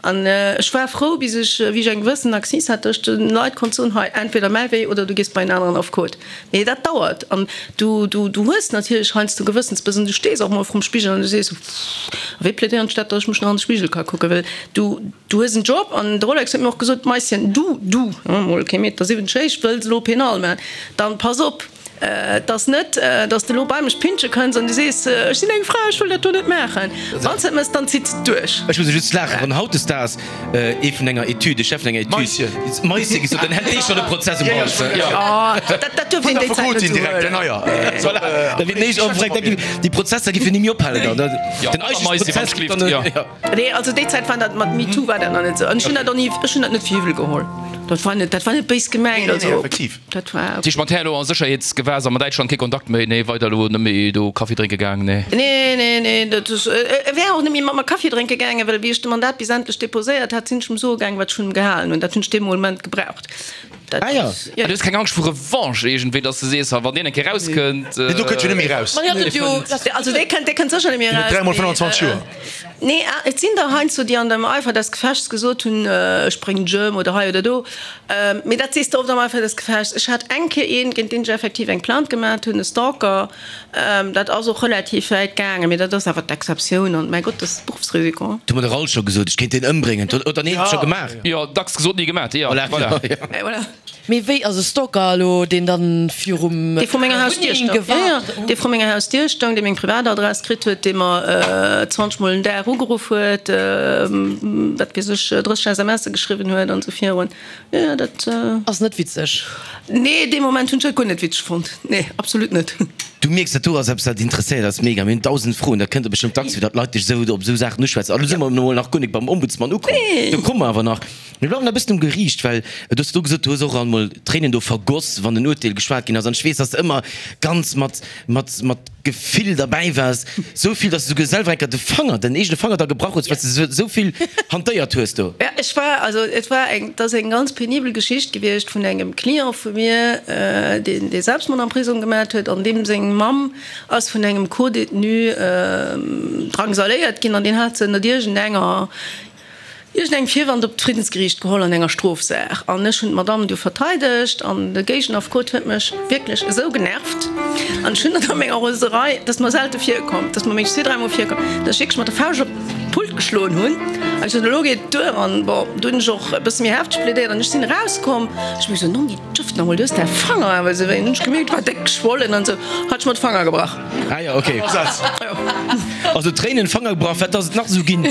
An ech war frou, bis ech, wéi ech eng gewëssen Acquise hat, datt ech de Leit konnt soen, hei, entweder mäi Wee oder du gees bei en aneren Affekot. Mee dat dauert. An du, du, du hues natierlech heiansdo Gewëssensbëss an du stees och mol vrum Spigel an du sees, a wéi plädéieren ech dat, datt ech mech nach an de Spigel ka kucken, well du, du hues en Job. An de Rolex huet mir och gesot, Maischen, du, du, mol kee Meter siwwenzeg héich, wëlls elo Penal maachen, dann pass op, Et ass net, dass de elo bei mech pintsche kënns an du sees, ech sinn eng Fra, ech wëll dat do net maachen. Wann s de et méchs, dann zitt s de et duerch. Ech muss just laachen, wann hautdesdaags ee vun enger Etüd, de Chef vun enger Etüd, Maische gesot, dann hätt dee schonn e Prozess um Hals. Dat dat duerf een déi Zäit net esou huelen. Voilà, da wier den éischten ofgefragt, da géif déi Prozesser géifen ni méi ophalen dann. Den eigentleche Prozess géif dann, jo. Nee, also déi Zäit war dat mat MeToo war dat nach net esou. An ech hunn dat och ni, ech hunn dat net fir iwwel geholl. Dat war net, dat war net béis gemengt. Also dat war. Tisch mat här elo a Sécherheetsgewässer mat Däitschland kee Kontakt méi, nee weider elo net méi do Kaffi drénke gaang, nee. Nee, nee, nee, dat ass, e wär och net méi mat mer Kaffi drénke gaangen, well wéi ech de Mandat bis endlech deposéiert hat, sinn ech em soe gaangen, wat ech vun em gehalen hunn. Dat hunn ech dee Moment gebraucht. Dat Ah ja. ass, jo. Du hues keng Angscht vu Revanche iergendwéi, dass de sees, ha wann deen eng Kéier rauskënnt. Nee, do kënnt jo net méi raus. Ma hie huet et jo. Also dee kënnt, dee kënnt sécher net méi Deen huet eraus, dräimol mee, fënnwanzwanzeg Joer. Nee, et sinn der heiansdo, déi an dem Eifer des Gefechts gesot hunn, ech bréngen dech ëm oder hei oder do. Mee dat sees de oft am Eifer des Gefechts. Ech hat eng Kéier een, géint deen ech effektiv eng Plainte gemat hunn, e Stalker. Dat ass och relativ wäit gaangen, mee dat ass awer d'Exceptioun an, mäi Gott, dat ass Beruffsrisiko. Du huet mer de Ralph scho gesot, ech kéint deen ëmbréngen. Oder nee, scho gemaach. Jo, dacks gesot, ni gemat. Jo, Voilà. voilà. Voilà. Mee wéi ass e Stalker elo, deen dann virum Dee vru menger Hausdier Wunneng stoung. Ja, ja, gewaart? dee vru menger Hausdier stoung, dee meng Privatadress kritt huet, dee mer zwanzeg Mol den Dag ugeruff huet, wat weess ech, drësseg S M Sse geschriwwen huet an esou virun. Jo, jo, dat. Ass net witzeg. Nee, dee Moment hunn ech dat guer net witzeg fonnt. Nee, absolut net. Du mierks, dat do ass eppes, dat interesséiert eis mega. Mir hunn dausend Froen, dat kënnt der bestëmmt dacks vir, datt Leit dech esou op esou Saachen uschwätzen. An do si mer emol nach guer nik beim Ombudsmann ukomm. Do komme mer awer nach. Mir bleiwen nach e bëssen um Geriicht, well du hues do gesot, du hues och emol Tréinen do vergoss, wann en Urteel geschwat ginn ass. An ech weess, dass de ëmmer ganz mat, mat, mat Gefill derbäi waars, sou vill, dass de souguer selwer eng Kéier de Fanger, den eegene Fanger da gebrach hues, well s de sou vill hantéiert hues do. Ja, ech war, also et war eng, et ass eng ganz penibel Geschicht gewiescht vun engem Client vu mir, deen dee Selbstmord am Prisong gemat huet an deem seng Mamm ass vun engem Co-Détenu drangsaléiert ginn an deen hat se ënnert iergendenger, iergendengem Virwand op d'Friddensgeriicht geholl an enger Strofsaach an ech hunn d'Madame du verteidegt an de Géigenaffekot huet mech wierklech esou genervt an ech hunn dat a menger Roserei, dat ass mer selte virkomm, dat ass mer mengen zwee, dräi Mol virkomm, datt ech wierklech mat der Fauscht op d'Pult geschloen hunn an ech sot, elo geet et duer an bon, du hunn ech och e bësse méi hefteg plädéiert an ech sinn erauskomm, ech hu gesot, Nonni, djëft nach emol, du hues däi Fanger awer esou wéi, an hunn ech gemierkt, war déck geschwollen an esou, hat ech mer de Fanger gebrach. Ah jo, ok. Also Tréinen, Fanger gebrach, wat ass et nach esou ginn?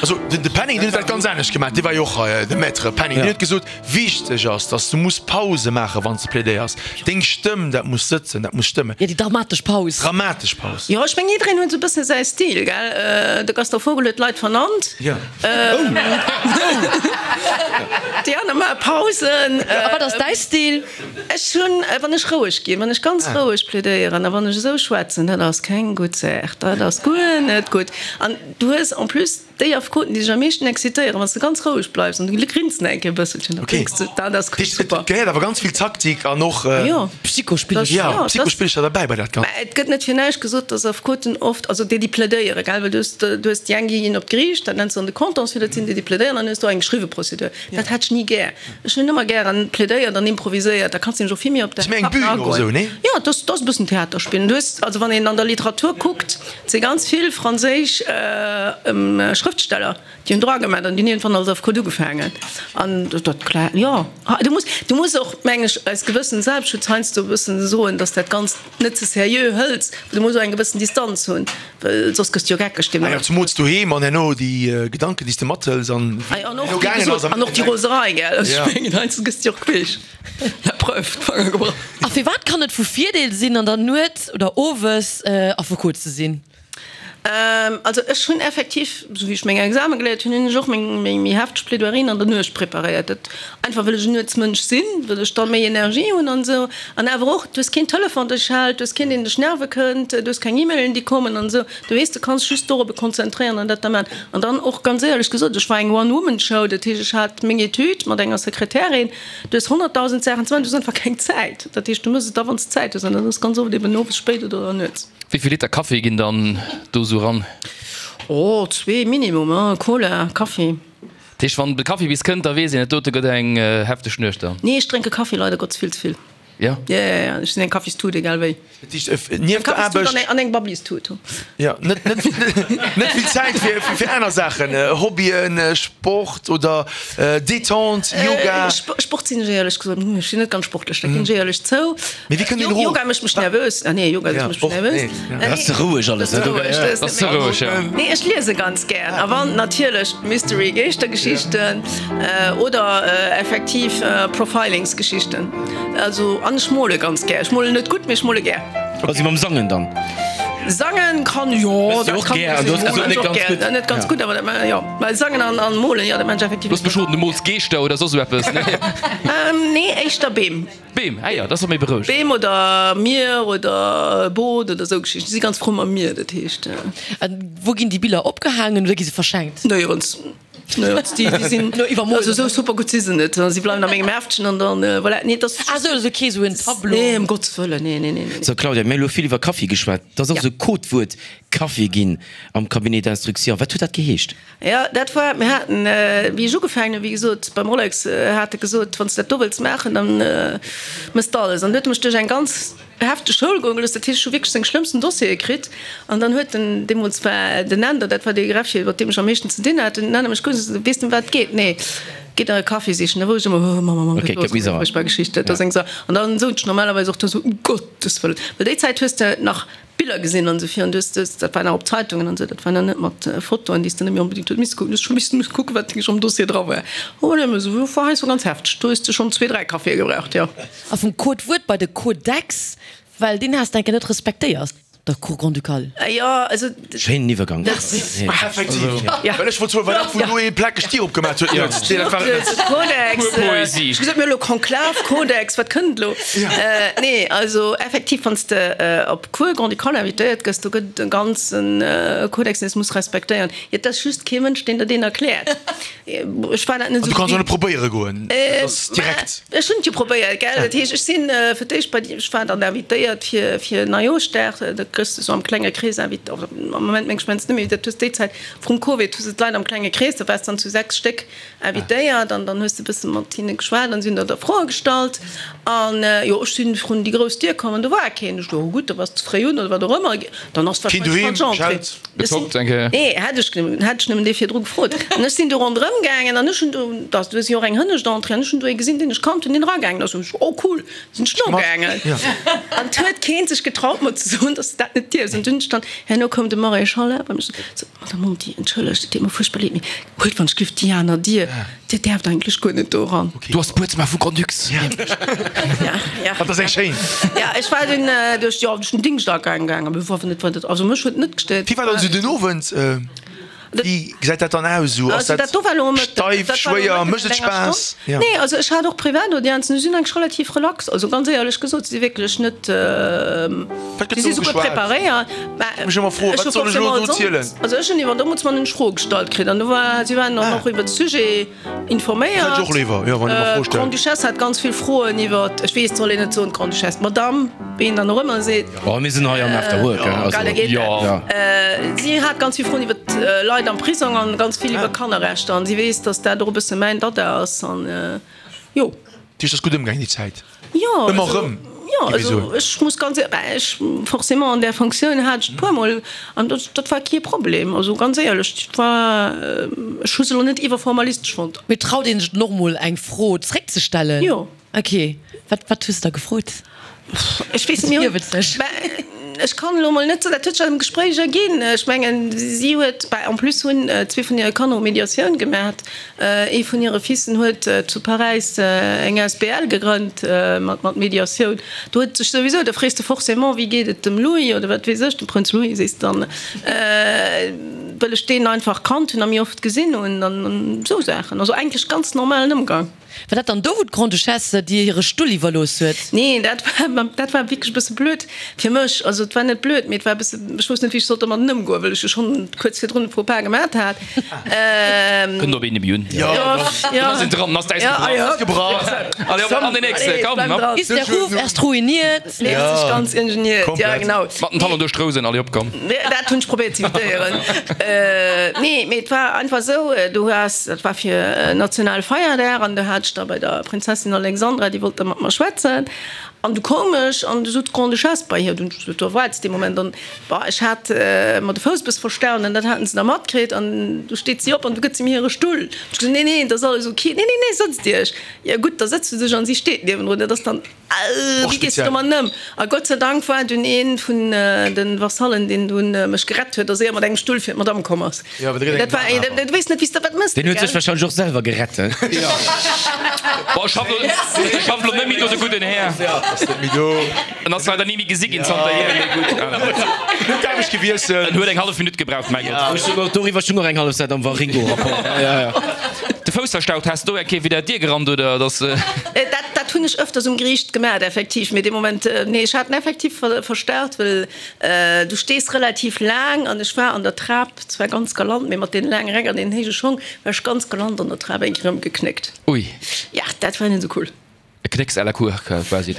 Also de Penning, deen huet dat ganz anescht gemaach, dee war jo och hei, de Maître Penning, deen huet gesot, wichteg ass, datt s du muss Pause maachen, wann s de plädéiers. Deng Stëmm, dat muss sëtzen, dat muss stëmmen. Jo, déi dramatesch Paus. Dramatesch Paus. Jo, ech mengen, jiddereen huet esou e bësse säi Stil, gell? De Gaston Vogel huet d'Leit vernannt. Jo. Déi aner maache Pausen. A wat ass däi Stil? Ech hunn, wann ech roueg ginn, wann ech ganz roueg plädéieren a wann ech esou schwätzen, dat ass keng gutt Saach, dat ass guer net gutt. An du hues en plus déi Affekoten, déi sech am meeschten excitéieren, wann s de ganz roueg bleifs an du grinst nach eng Kéier e bësselchen, da bréngs de, dat ass super. Et gehéiert awer ganz vill Taktik an och Psychospillercher. Jo, Psychospillercher derbäi bei dat Ganzt. Mä et gëtt net fir näischt gesot, dass Affekoten oft, also déi, déi plädéieren, gell, well du hues, du hues déi eng, déi ginn op d'Geriicht, dat nenns de dann de Contentieux, dat sinn déi, déi plädéieren, an dann hues du och eng geschriwwe Prozedur. Dat hätt ech ni gär. Ech hunn ëmmer gären plädéiert an improviséiert, da kanns de nämlech och vill méi op däi Partner agoen. Jo, et ass, et ass e bëssen Theater spillen. Du hues, also wann een an der Literatur kuckt, et si ganz vill franséisch Schrëftsteller, déi hunn Droit gemaach an déi hunn iergendwann als Affekot ugefaangen. An dat, klar, jo, du muss, du muss och, meng ech, aus gewëssem Selbstschutz heiansdo e bëssen soen, dass dat Ganzt net ze seriö hëls. Du muss och eng gewëssen Distanz hunn, well soss gëss de jo geckeg deemno. Ah jo, zemools doheem an herno déi Gedanken, déi s de mathëls an wéi et herno gaangen ass. An och déi Roserei, gell? Also ech mengen, heiansdo gëss de jo och queesch. La preuve, d'Fanger gebrach. A firwat kann et vu Virdeel sinn, an der Nuet oder owes Affekot ze sinn? Also ech hunn effektiv, esou wéi ech meng Exame geléiert hunn, hunn ech och meng méi hefteg Plaidoierien an der Nuecht preparéiert. Dat einfach wëll ech en Nuetsmënsch sinn, wëll ech da méi Energie hunn an esou. An awer och, du hues keen Telefon dech hält, du hues keen deen dech nerve kënnt, du hues keng E-Mailen déi kommen an esou. Du weess, du kanns just dorobber konzentréieren an dat da maachen. An dann och ganz éierlech gesot, ech war eng One-Woman-Show, dat heescht ech hat meng Etüd mat enger Sekretärin, du hues honnertdausend Saachen ze maachen, du hues einfach keng Zäit. Dat heescht, du méchs et da wann s de Zäit hues an dat ass ganz oft eben owes spéit oder nuets. Wéi vill Liter Kaffi ginn dann do sou ran? Oh, zwee minimum, hein, Cola, Kaffi. Dat heescht, wann de Kaffi bis kënnt, da weess een, et dote gëtt eng hefteg Nuecht dann? Nee, ech drénke Kaffi leider Gottes vill ze vill. Jo? Jo, jo, jo, ech sinn eng Kaffistut, egal wéi. Dat heescht, nieft der Aarbecht. An eng Babblistut. Jo, net, net, net vill Zäit fir, fir aner Saachen, Hobbyen, Sport oder Détente, Yoga? Sport sinn ech éierlech gesot, ech sinn net ganz sportlech, dat ginn ech éierlech zou. Mee wéi kënnt een erof? Yoga mécht mech nervös. Ah nee, Yoga mécht mech nervös. Dat ass ze roueg alles, ne? Dat ass ze roueg, ja. Nee, ech liese ganz gär. A wann natierlech Mystery, Geeschtergeschichten oder effektiv Profilingsgeschichten. Also, an ech mole ganz gär. Ech molen net gutt, mee ech mole gär. Also mam Sangen dann? Sangen kann, jo, dat kann ech och gär. Net ganz gutt, awer dat, jo. Well sangen an an molen, jo, dat man ech effektiv. Looss mech roden, du mools Geeschter oder soss esou eppes, nee? Nee, éischter Beem. Beem, ah jo, dat ass och méi berouegend. Beem oder Mier oder Boot oder esou Geschichten. Ech si ganz frou mam Mier, dat heescht. A wou ginn déi Biller opgehaangen oder gi se verschenkt? Néierens. Néierens. Déi, déi sinn, also esou super gutt si se net. Si bleiwen a mengem Heftchen an dann, voilà. Nee, et ass. Ah sou, also kee sou en Tableau? Nee, ëm Gottes Wëllen, nee, nee, nee, nee. So Claudia, mir hu lo vill iwwer Kaffi geschwat. Et ass och esou e Codewuert Kaffi ginn am Cabinet d'instruction. Wat huet dat geheescht? Jo, dat war, mir haten, wéi ech ugefaangen hunn, wéi gesot, beim Rolex hat e gesot, wann s de dat do wëlls maachen, da mëss de alles. An du huet e mech duerch eng ganz hefteg Schoul goe gelooss. Dat heescht, ech hu wierklech seng schlëmmsten Dossiere kritt. An dann huet en, deemools war den Änder, dat war dee Greffier, mat deem ech am meeschten ze dinn hat, den Änder mech kuckt a sot, Weess de, ëm wat et geet? Nee. Geet nach e Kaffi sichen. Da wor ech ëmmer, oh Mamm, Mamm, Okay, gëtt gëtt méi los, sauer. furchtbar Geschicht, dat ass eng Sa. An dann sot ech normalerweis och do esou, Um Gottes Wëllen, well déi Zäit hues de nach Biller gesinn an esou vir an du hues dës, dat war nach op Zeitungen an esou, dat war nach net mat Fotoen, déi s de net méi onbedéngt hues misse kucken, du hues scho missen kucken, wat wierklech am Dossier dra war. Oh nee, esou war heiansdo ganz hefteg, do hues de schonn zwee, dräi Caféë gebraucht, jo. A vum Codewuert bei de Codex, well deen has de enke net respektéiert. der Cour Grand-Ducale. Jo, also. Schéinen Iwwergang. Effektiv. Well ech wollt soen, war dat wou do ee plakeg d'Dier opgemaach huet nuets? Nee, dat war et net. Kodex. Pur Poesie. Ech gesot, mir hu lo Konklav, Kodex, wat kënnt elo? Nee, also effektiv, wann s de op d'Cour Grand-Ducale invitéiert gëss, do gëtt et e ganze Kodex, deen s muss respektéieren. Et ass just kee Mënsch, deen der deen erkläert. Ech war dat net An esou du kanns och gewinnt. net probéiere goen, dat ass direkt. Ech hunn et jo probéiert, gell. Dat heescht, ech sinn fir d'éischt bei déi, ech war dann invitéiert fir fir Neijooschdag, da kriss de sou am klenge Krees invit, am Moment meng ech meng net méi, dat hues déi Zäit vrum Covid hu se d'Leit am klenge Krees, da waars dann zu sechs Stéck invitéiert an dann hues de e bësse mat hinne geschwat an si hunn der da Froe gestallt an jo, ech sinn vrun déi grouss Dier komm an do war keen. Ech do, oh gutt, da bass de ze fréi un oder wat och ëmmer, dann ass Keen wahrscheinlech doheem, falsch Entrée. geschellt. Ech sinn, Gezockt eng Kéier. nee, hätt ech nëmmen, hätt ech nëmmen dee virdru gefrot. An ech sinn do ronderëm gaangen an ech hunn do, da du hues jo och eng hënnescht Entrée an ech hunn do ee gesinn, deen ech kannt hunn, deen eragaangen ass. Hunn ech, oh cool, sinn ech nogaangen. An et huet keen sech getraut mer ze soen, dass dat net dierfs. An dunn stand, herno koum de Maréchal bei mech, sot, Madame Monti, entschëllegt, et deet mer fuerchtbar leed, mee huelt wann ech giff déi aner Dier, Dir däerft eigentlech guer net do eran. Du ass d'Buedzëmmer vu Grand-Ducs. Ja, ja. Dat ass eng schéin. Ja, ech war dunn duerch, jo, duerch den Dingschtagaang gaangen, mee war net, wat, also mech huet et net gestéiert. Wéi war dann esou den Owend? Wéi gesäit dat dann aus esou? Ass Also dat dat do war elo Mëtten, steif, dat war elo schwéier? Mëtten Mécht an et enger Spaass? Stonn. Ja. Nee, also ech hat och Privataudienzen, déi sinn eigentlech relativ relax, also ganz éierlech gesot, si si wierklech net, Wat gëtt si si do souguer geschwat? preparéiert. Mä Ech mech ëmmer froen, ech wat hu soll ech elo forcément do zielen? Also ech hunn iwwer d'Ombudsman hunn ech Froe gestallt kritt an do war, si waren dann Ah. och iwwer de Sujet Dat informéiert. hätt ech och léiwer, jo, wann ee mer Froe stellt. D'Grande-Duchesse hat ganz vill Froen iwwer, ech weess, et soll een net soen d'Grande-Duchesse, d'Madame, wéi een dann och ëmmer seet. Oh, mir sinn hei am After Work, Äh, also, geil, da geet jo. dat. Äh, si hat ganz vill Froen iwwer d'Leit am Prisong an ganz vill iwwer Kannerrechter an si weess, dass dat och e bësse mäin Dada ass an jo. Dat heescht, ass gutt ëmgaang déi Zäit? Jo, Ëmmer also, erëm, jo, géif ech also soen. ech muss ganz éier, bah, ech forcément an där Fonctioun hat ech et puermol an dat, dat war kee Problem, also ganz éierlech, dat war, ech hu se elo net iwwerformalistesch fonnt. Mee traut een sech dann och mol eng Fro zréckzestellen? Jo. Ok, wat, wat hues de da gefrot? Ech weess net, mir hunn, bah, ech kann elo mol net soen, dat huet sech am Gespréich erginn. Ech mengen, si huet, bah, en plus hunn zwee vun hire Kanner hu Mediatioun gemaat. Ee vun hire Fissen huet zu Paräis eng asbl gegrënnt mat, mat Mediatioun. Do huet sech souwisou, da frees de forcément, wéi geet et dem Louis oder wat weess ech, dem Prënz Louis sees de dann, well ech deen einfach kannt hunn a méi oft gesinn hunn an esou Saachen. Also eigentlech ganz normalen Ëmgang. War dat dann do, wou d'Grande-Duchesse dir hire Stull iwwerlooss huet? Nee, dat war, dat war wierklech e bësse blöd fir mech. Also et war net blöd, mee et war e bësse, ech wousst net, wéi ech sollt domadden ëmgoen, well ech jo schonn kuerz virdrun e Faux-pas gemat hat. Kënnt op een ebe un. Jo, jo. Dann ass een dran, dann ass d'Äis Ja, gebrach. ja. Gebrach. Allez, op, an den nächste, Allez, komm, bleib hopp. dran. Ist der Ruf erst ruiniert? Léisst sech ganz ingeniert, ja Komplett. genau. Mat den Talon duerch d'Rousen, allez, op, komm. Dat hunn ech probéiert ze imitéieren. Nee, mee et war einfach esou, du has, dat war fir Nationalfeierdag an du hat ech da bei der Prinzessin Alexandra, déi wollt da mat mer schwätzen an du koum ech an du sot d'Grande-Duchesse bei hir, dunn ech gesot, do war et dee Moment an, bah, ech hat mer de Fouss e bësse verstaut an dat haten se da matkritt an du steet si op an du gëtt si mir hire Stull. Ech gesot, nee, nee, dat ass alles ok, nee, nee, nee, sëtzt Iech. Jo gutt, da sëtzt se sech an si steet niewendrun, dat ass dann, Och wéi gees de speziell. domat ëm? A Gott sei Dank war dunn ee vun de Vasallen, deen dunn mech gerett huet, dass éier mat engem Stull fir d'Madame komm ass. Jo, awer da gëtt Dat war, engem awer. du weess net, wéi s de wat mëss, Deen huet sech gell? wahrscheinlech och selwer gerett, he? Boah, ech schaff lo, ech schaff lo net méi do, de gudden Här. Ass net méi do. En ass leider ni méi gesi ginn zanterhier, mee gutt. Huet d'Aarbecht gewiesselt. En huet eng hallef Minutt gebraucht, mäi Gott. Ech hunn och doriwwer schon och eng hallef Säit am Waringo-Rapport. Ja, ja. De Fouss verstaut, has du do eng Kéier widder d'Dier gerannt, oder dass? Dat, dat hunn ech öfters um Geriicht gemaat, effektiv, mee dee Moment, nee, ech hat en effektiv verstaut, well du stees relativ laang an ech war an der Trap zwar ganz galant, mee mat deenen laange Räck an deenen héije Schong war ech ganz galant an der Trap eng Kéier ëmgeknéckt. Ui. Ja, dat war net esou cool. E Knécks à la cour, quasi.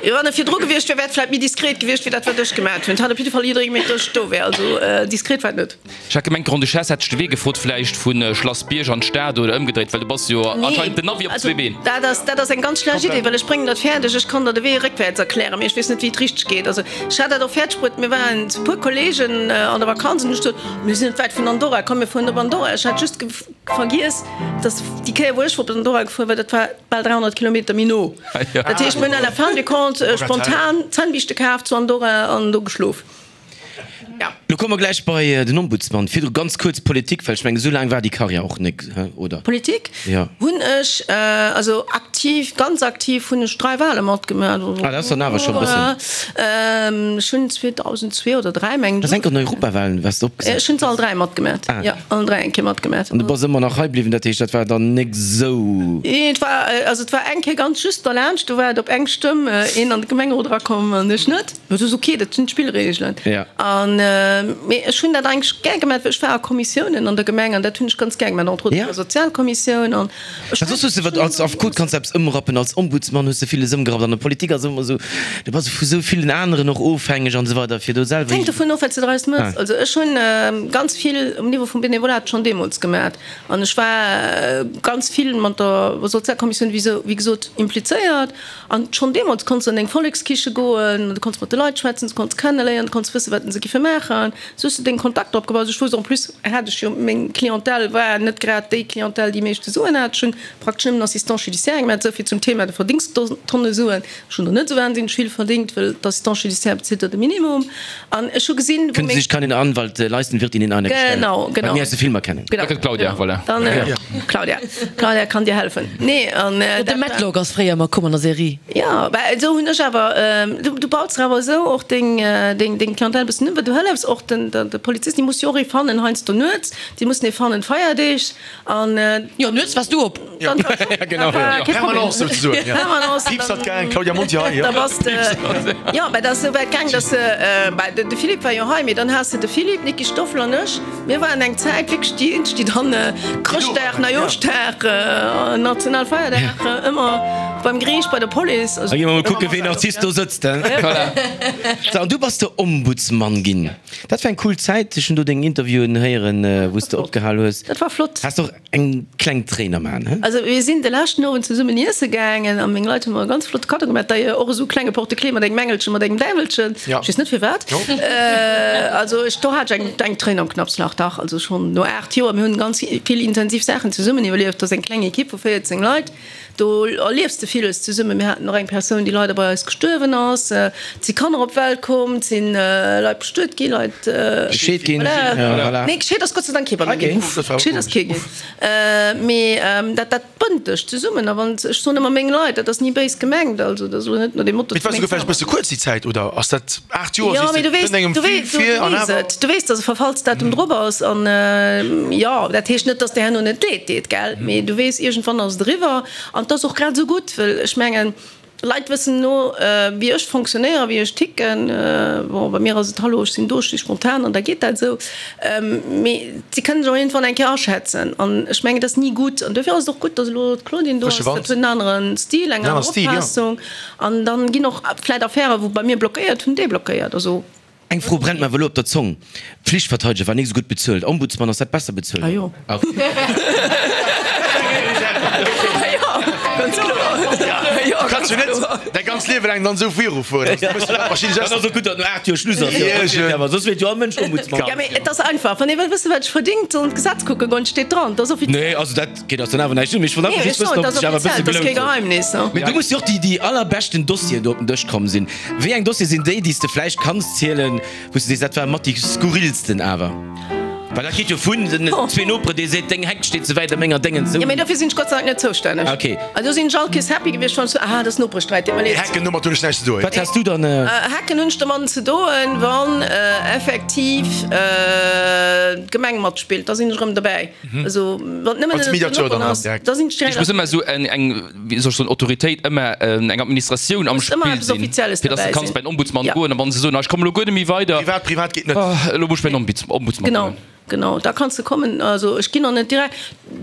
Jo, wann e virdru gewiescht wär, wär et vläit méi diskret gewiescht, wéi dat, wat ech gemaat hunn. Et hat op jidde Fall jidderee gemengt, datt ech do wär. Also diskret war et net. Ech hat gemengt, d'Grande-Duchesse hätt dech de Wee gefrot, vläicht vu Schlass Bierg an d'Stad oder ëmgedréit, well du bass jo anscheinend den Navi op zwee Been. Dat ass, dat ass eng ganz schlecht Idee, well ech bréngen dat fäerdeg. Ech kann der de Wee réckwäerts erklären, mee ech weess net, wéi et richteg geet. Also ech hat dat och fäerdeg bruet. Mir waren zu puer Kolleegen an der Vakanz an ech sot, Mir sinn net wäit vun Andorra, komm mir fueren op Andorra. Ech hat just vergiess, datt déi Kéier, wou ech op Andorra gefuer war, dat war bal dräihonnert Kilometer méi no. Dat heescht, mir hunn à la fin du compte spontan Zännbiischte kaf zu Andorra an do geschlof. Ja. Lo komme mer gläich bei den Ombudsman. Virdru ganz kuerz Politik, well ech mengen, esou laang war déi Karriär och nik, oder? Politik Ja. hunn ech, also aktiv. aktiv, ganz aktiv hunn ech dräi Wahle matgemaach. Ah, dat ass dann awer scho e bëssen. Ech hunn zweedausendzwee oder dräi, mengen ech. Dat ass enk an Europawahlen, waars de opgesat? Ech hunn se all dräi matgemaach. Ah. Jo, allen dräi eng Kéier matgemaach. An du bass ëmmer nach hei bliwwen, dat heescht, dat war dann nek esou. Et war, also et war eng Kéier ganz just derlaanscht, do war et op eng Stëmm een an de Gemengerot erakomm an ech net. Mee dat ass ok, dat sinn d'Spillreegelen. Ja. An, mee ech hunn dat eigentlech gär gemaach, well ech war a Kommissiounen an der Gemeng an dat hunn ech ganz gär gemaach, entre autres Ja. an der Sozialkommissioun an ech Well soss hues de wat als Affekot kanns de eppes ëmrappen, als Ombudsmann hues de villes ëmgerappt, an der Politik ass ëmmer esou, du bass vu sou villen aneren och ofhängeg an esou weider, fir do selwer. Et hänkt dovun of, wat s de draus méchs. Ah. Also ech hunn ganz vill um Niveau vum Benevolat schonn deemools gemaach an ech war ganz vill mat der Sozialkommissioun, wéi sou, wéi gesot, implizéiert. An schonn deemools konns de an eng Vollekskiche goen, du konns mat de Leit schwätzen, du konns kenneléieren, du konns wëssen, wat se giffe maachen. Sou hues de deng Kontakter opgebaut. Ech wousst, en plus hat ech jo, meng Clientèle war net grad déi Clientèle, déi meeschte Suen hat. Ech hunn praktesch nëmmen Assistants judiciaires gemaach, esou vill zum Thema, du verdéngs Tonne Suen. Ech hunn der net esou wahnsinneg vill verdéngt, well d'Assistants judiciaires bezilt der de Minimum. An ech hu gesinn, wou Können Sie meng. sich keinen Anwalt leisten, wird Ihnen einer gestellt. Genau, Wat genau. mir aus de Filmer kennen. Genau. Da kënnt d'Claudia, voilà. Dann, Claudia. Claudia kann dir helfen. Nee, an De dat war. Matlock ass fréier ëmmer komm an der Serie. Jo, bah esou hunn ech awer, du, du baus der awer esou och deng, deng, deng Clientèle e bëssen un, well du hëllefs och den, de Polizisten, déi musse jo och ee fannen heiansdo nuets, déi mussen ee fannen Feierdeeg an. Jo, nuets waars du op. Dann war Ja, genau, war ja. kee Problem. Permanence souzesoen, ja. Permanence, Piips dann- hat gaang, Claudia Monti hei, jo. Da bass de, jo, mä dat ass esou wäit gaang, dass se, bah, de, de Philippe war jo hei, mee dann has de de Philippe, d'Niki Stoffel an ech, mir waren eng Zäit wierklech déi eenzeg, déi dann Chrëschtdag, Neijooschdag, Nationalfeierdag ëmmer beim Geriicht, bei der Police, also. Da gi mer mol kucken, ween Artist do sëtzt, hein. Voilà. So, an du bass de Ombudsmann ginn. Dat war eng cool Zäit. Ech hunn do deng Interviewen héieren, wou s de opgehal hues. Dat war flott. Has och eng kleng Tréin am Aen, he? Also mir sinn de leschten Owend zesummen iesse gaangen a meng Leit hu mer e ganz flotte Kaddo gemaach, d'ailleurs och esou e klenge Porte-clés mat engem Engelchen, mat engem Däiwelchen, Ja. ech weess net firwat. Jo. Also ech, do hat ech eng, eng Tréin am Knappslach, dach, also schonn no aacht Joer. Mir hunn ganz vill intensiv Saachen zesummen iwwerlieft. Dat ass eng kleng Ekipp vu véierzéng Leit. Do erliefs de villes zesummen. Mir haten och eng Persoun, déi leider bei eis gestuerwen ass. Et si Kanner op d'Welt komm, et si Leit bestuet ginn, Leit. Gescheet ginn. Voilà. Ja, voilà. Nee, gescheet ass Gott sei Dank kee bei mir Okay. ginn. Uff, dat war Gescheet ass kee ginn. Mee dat, dat bënnt dech zesummen. A wann, ech soen ëmmer meng Leit, dat ass ni béis gemengt, also dat ass elo net no deem Motto, Mee et war meng souguer vläicht e bësse kuerz déi Zäit, oder? Ass dat aacht Joer, Jo, sees mee de, du weess, kënnt engem du vill weess, du vir an weess awer. et. Du weess, dass e Verfallsdatum drop ass. An jo, dat heescht net, dass der herno net leed deet, gell? Mee du weess, iergendwann ass et eriwwer. An 't ass och grad esou gutt, well ech mengen, Leit wëssen elo, wéi ech fonctionnéieren, wéi ech ticken. Bon, bei mir ass et, Hallo, ech sinn do, ech si spontan an da geet dat esou. Mee si kënnen sech och iergendwann eng Kéier aschätzen. An ech mengen, dat ass ni gutt. An duerfir ass et och gutt, datt elo d'Claudine do ass. Frësche Wand. Dat huet en anere Stil, eng En aner anere Stil, jo. Opfaassung. An dann ginn och vläicht Affären, wou bei mir blockéiert hunn, deblockéiert. Also. Eng Fro brennt mer awer elo op der Zong, Pflichtverteideger war nik esou gutt bezuelt, Ombudsmann, ass dat besser bezuelt? Ah jo. Ah jo, ganz kloer. Ah jo, Du kanns jo net däi ganzt Liewe laang dann esou virufueren. Also, du muss jo dat wahrscheinlech Dann ass och gutt, datt no aacht Joer Schluss ass, Iergend. awer soss wier jo all Mënsch Ombudsmann. Ja, mee et ass einfach, wann ee wëll wëssen, wat ech verdingt, soll en d'Gesetz kucke goen, et steet dran, et ass offiziell. Nee, also dat geet eis dann awer näischt un, mee ech wollt Nee, einfach ech just soen, wëssen, et ob ass et sech awer e offiziell, bësse et ass kee gelount huet. Geheimnis, ne? Mee du muss jo och déi, déi allerbeschten Dossieren do op den Dësch komm sinn. Wéi eng Dossiere sinn déi, déi s de vläicht kanns zielen, wou s de sees, dat war mat déi skurrilsten awer? Well dat geet jo vun den zwee Nopere, dee seet, deng Heck steet ze wäit a menger Déngen zou. Jo, mee dofir sinn ech Gott sei Dank net zoustänneg. Ah, okay. Also do sinn ech all Kees happy gewiescht, wann ech sou, ah, dat ass Noperesträit, deet mer leed. Hecken, domat hunn ech näischt ze doen. Wat has du dann? Hecken hunn ech domadden ze doen, wann effektiv d'Gemeng matspillt, da sinn ech erëm dobäi. Also wann et nëmmen Als ënnert den Mediateur Noperen dann ass, direkt. da sinn ech direkt. Ech muss ëmmer esou eng, eng, wéi soll ech soen, Autoritéit, ëmmer eng Administratioun am Muss ëmmer Spill eppes sinn, Offizielles fir dass du dobäi kanns sinn. bei den Ombudsmann Ja. goen a wann se soen, ah, ech kommen elo guer net méi weider, Privat, privat geet net. ah, elo muss ech bei den Ombudsmann Genau, goen. genau, da kanns de kommen. Also ech ginn och net direkt,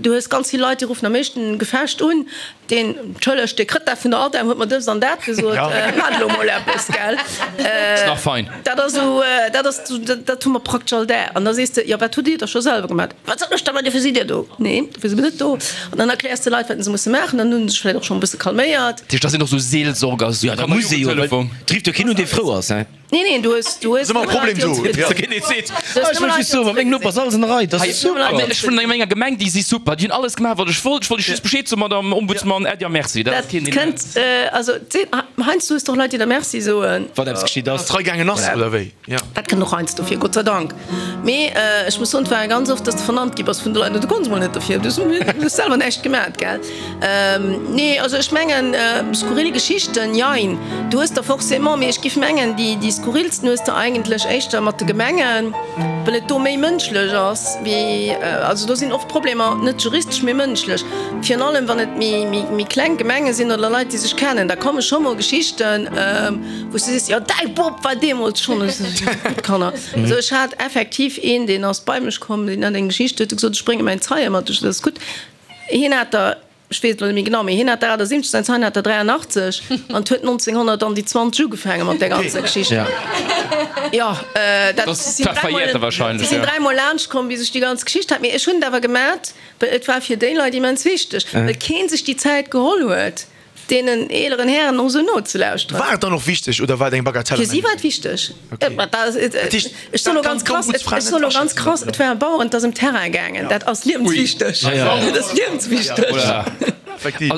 du hues ganz vill Leit, déi ruffen am éischten Gefecht un, deen, entschëllegt, dee kritt dat vun der ADEM, huet mer dëst an dat gesot, Ja. maacht elo mol eppes, gell. Ass nach fein. Dat ass esou, dat ass, dat hu mer praktesch all Dag. An da sees de, jo wat hutt Dir da scho selwer gemaach? Wat soll ech da maachen, dofir sidd Dir do. Nee, dofir si mir net do. An dann erkläers de Leit, wat se musse maachen, dann hu se sech vläicht och schonn e bësse calméiert. Dat heescht, dat sinn och esou Seelsorger, esou Ja, da muss ee jo, well Kannerjugendtelefon. et rifft jo keen un, dee frou ass, hein. Nee, nee, du hues, du hues Ass ëmmer e Problem do. Ja. Keen dee seet, ah, ech wëll just soen, mat mengem Noper ass alles an der Rei, dat ass super. Hei, ech vun menger Gemeng, déi si super, déi hunn alles gemaach, wat ech wollt. Ech wollt just Bescheed soen, Madame Ombudsman, Äddi a Merci. Dat ass keen, deen. Kënnt, also, heiansdo hues de och Leit, déi der Merci soen. Wat eppes geschitt ass. Dass d'Rei gaangen ass, oder wéi? Ja. Dat kënnt och heiansdo vir, Gott sei Dank. Mee ech muss soen, et war ganz oft, dass de vernannt gi bass vun de Leit, du konns mol net derfir, du hues selwer näischt gemat, gell. Nee, also ech mengen, skurril Geschichten, jein, du hues der forcément, mee ech giff mengen, déi, déi skurrilsten hues de eigentlech éischter mat de Gemengen, well et do méi mënschlech ass wéi, also do sinn oft Problemer net juristesch, mee mënschlech. Virun allem wann et méi, méi, méi kleng Gemenge sinn oder Leit, déi sech kennen, da komme scho mol Geschichten, wou s du sees, jo däi Bop war deemools schonn, ech sou, gutt Kanner. Also ech hat effektiv een, deen ass bei mech komm, deen hat eng Geschicht, huet e gesot, ech brénge mäin Zeie mat, ech sou, dat ass gutt. Hien hat der, ech weess et elo net méi genau, mee hien hat der achtundsiwwenzeg, säin Zeien hat der dräianachtzeg an et huet nonzénghonnert an déi zwanzeg ugefaange mat där ganzer Geschicht. Jo, dat si sinn dräimol, si sinn dräimol laanscht komm, bis ech déi ganz Geschicht hat. Mee ech hunn et awer gemat, well et war fir déi Leit immens wichteg, well kee sech déi Zäit geholl huet, deenen eeleren Hären och esou nozelauschteren. War et dann och wichteg oder war et eng Bagatelle? Fir si war et wichteg. Ech soen elo ganz krass, ech soen elo ganz krass, et war e Bauer, et ass ëm Terrain gaangen. Dat ass liewenswichteg. Dat ass liewenswichteg.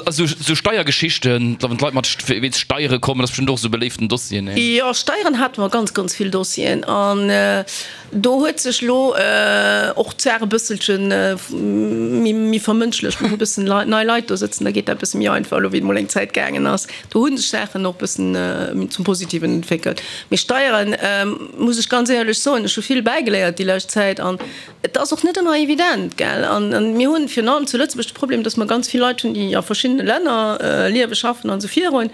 Also sou Steiergeschichten, wann d'Leit mat wéinst Steiere kommen, dat ass bestëmmt och esou e beléiften Dossier, nee? Jo, Steieren hate mer ganz, ganz vill Dossieren an Do huet sech lo och d'Saach e bësselche méi vermënschlecht. Mir hu bëssen nei Leit do sëtzen, da geet dat bësse méi einfach elo wéi et mol eng Zäit gaangen ass. Do hu sech Saachen och bëssen zum Positiven entwéckelt. Mee Steieren, muss ech ganz éierlech soen, ech hu vill bäigeléiert déi lescht Zäit an et ass och net ëmmer evident, gell. An mir hunn virun allem zu Lëtzebuerg de Problem, datt mer ganz vill Leit hunn, déi a verschiddene Länner liewen, schaffen an esou virun.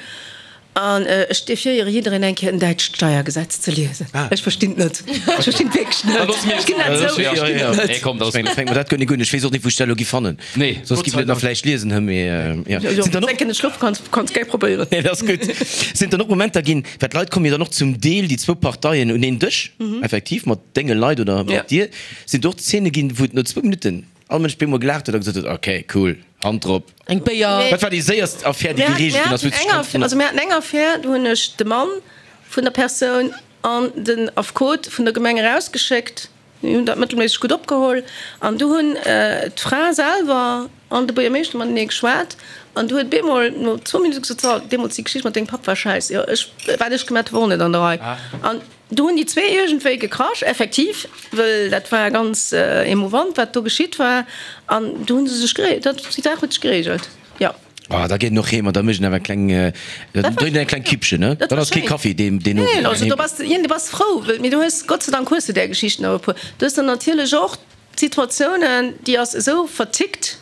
An ech defiéiere jiddereen eng Kéier en däitscht Steiergesetz ze liesen. Ech verstinn et net. Ech verstinn et wierklech net. Ech ginn dat zou, ech verstinn et net. Nee, komm, dat fänkt mer dat guer nik un. Ech weess och net, wou ech dat elo gi fannen. Nee. Soss giff ech et nach vläicht liesen, hë, mee jo. Jo, jo, wann s enke net schlofe kanns, kanns gär probéieren. Nee, dat ass gutt. Sinn dann och Momenter ginn, well d'Leit kommen jo dann och zum Deel, déi zwou Parteien, un een Dësch, effektiv, mat denge Leit oder mat dir. Sinn do och Zeene ginn, wou et no zwou Minutten all Mënsch bemol gelaacht huet a gesot huet, okay, cool, Hand drop. Eng Béier. Wat war déi séierst Affär, déi gereegelt ginn ass, wou du dech Also mir haten eng Affär, do hunn ech de Mann vun der Persoun an den Affekot vun der Gemeng erausgeschéckt. Déi hunn dat mëttelméisseg gutt opgeholl. An du hunn d'Fra selwer an de Buergermeeschter matenee geschwat. An du huet bemol no zwou Minutte gesot, So, deemools déi Geschicht mat dengem Papp war schäiss. Jo, ech, wat ech gemat hu war och net an der Rei. An Do hunn déi zwee iergendwéi gekrasch, effektiv, wëll dat war ganz emouvant, wat do geschitt war. An do hu se sech gere, dat, déi Saach huet sech geregelt, jo. Ah, da geet en och heem an da mécht en awer eng kleng, da drénkt en eng kleng Kippchen, ne? Dann ass kee Kaffi deen, deen Owend. Neen, also do bass de, du bass frou, wëll, mee du hues, Gott sei Dank hues du där Geschichten awer e puer. Du hues dann natierlech och d'Situatiounen, déi ass esou vertickt.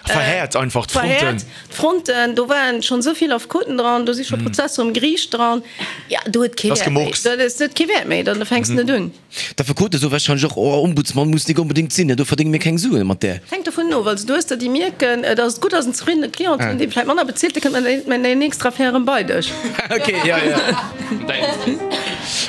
Verhäert einfach d'Fronten. Verhäert d'Fronten. Do waren schonn esou vill Affekoten dran, do si scho Prozesser um Geriicht dran. Jo, do huet kee Wäert méi. Dat huet kee Wäert méi, dann fänks de net un. D'Affekote soe warscheinlech och, oh, Ombudsmann muss nik onbedéngt sinn, do verdénge mir keng Suen mat där. Hänkt dovun of. Also du hues der, déi mierken, et ass gutt, ass en zefriddene Client hunn, dee vläicht manner bezilt, dee kënnt mat der nächster Affär erëm bei dech. Ok, jo, jo.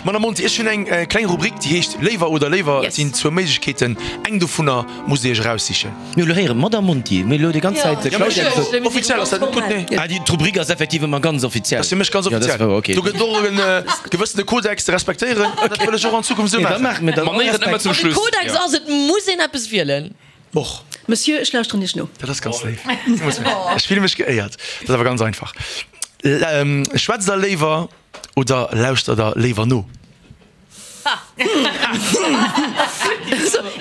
Madame Monti, ech hunn eng kleng Rubrik, déi heescht Léiwer oder léiwer. Et sinn zwou Méiglechkeeten, eng dovunner musst Dir Iech eraussichen. Mir hu lo héieren, Madame Monti, mir hu lo déi ganz Zäit de Claudia gesot. Offiziell ass dat net gutt, nee. Ah, déi d'Rubrik ass effektiv ëmmer ganz offiziell. Dat ass fir mech ganz offiziell. Do gëtt et och e gewëssene Kodex ze respektéieren. Dat wëll ech och an Zukunft esou maachen. Manéieren ëmmer zum Schluss. De Kodex ass, et muss een eppes wielen. Och. Monsieur, ech lauschteren Iech no. Dat ass ganz léif. Ech fille mech geéiert. Dat ass awer ganz einfach. Schwätzt Der léiwer oder lauschtert Der léiwer no?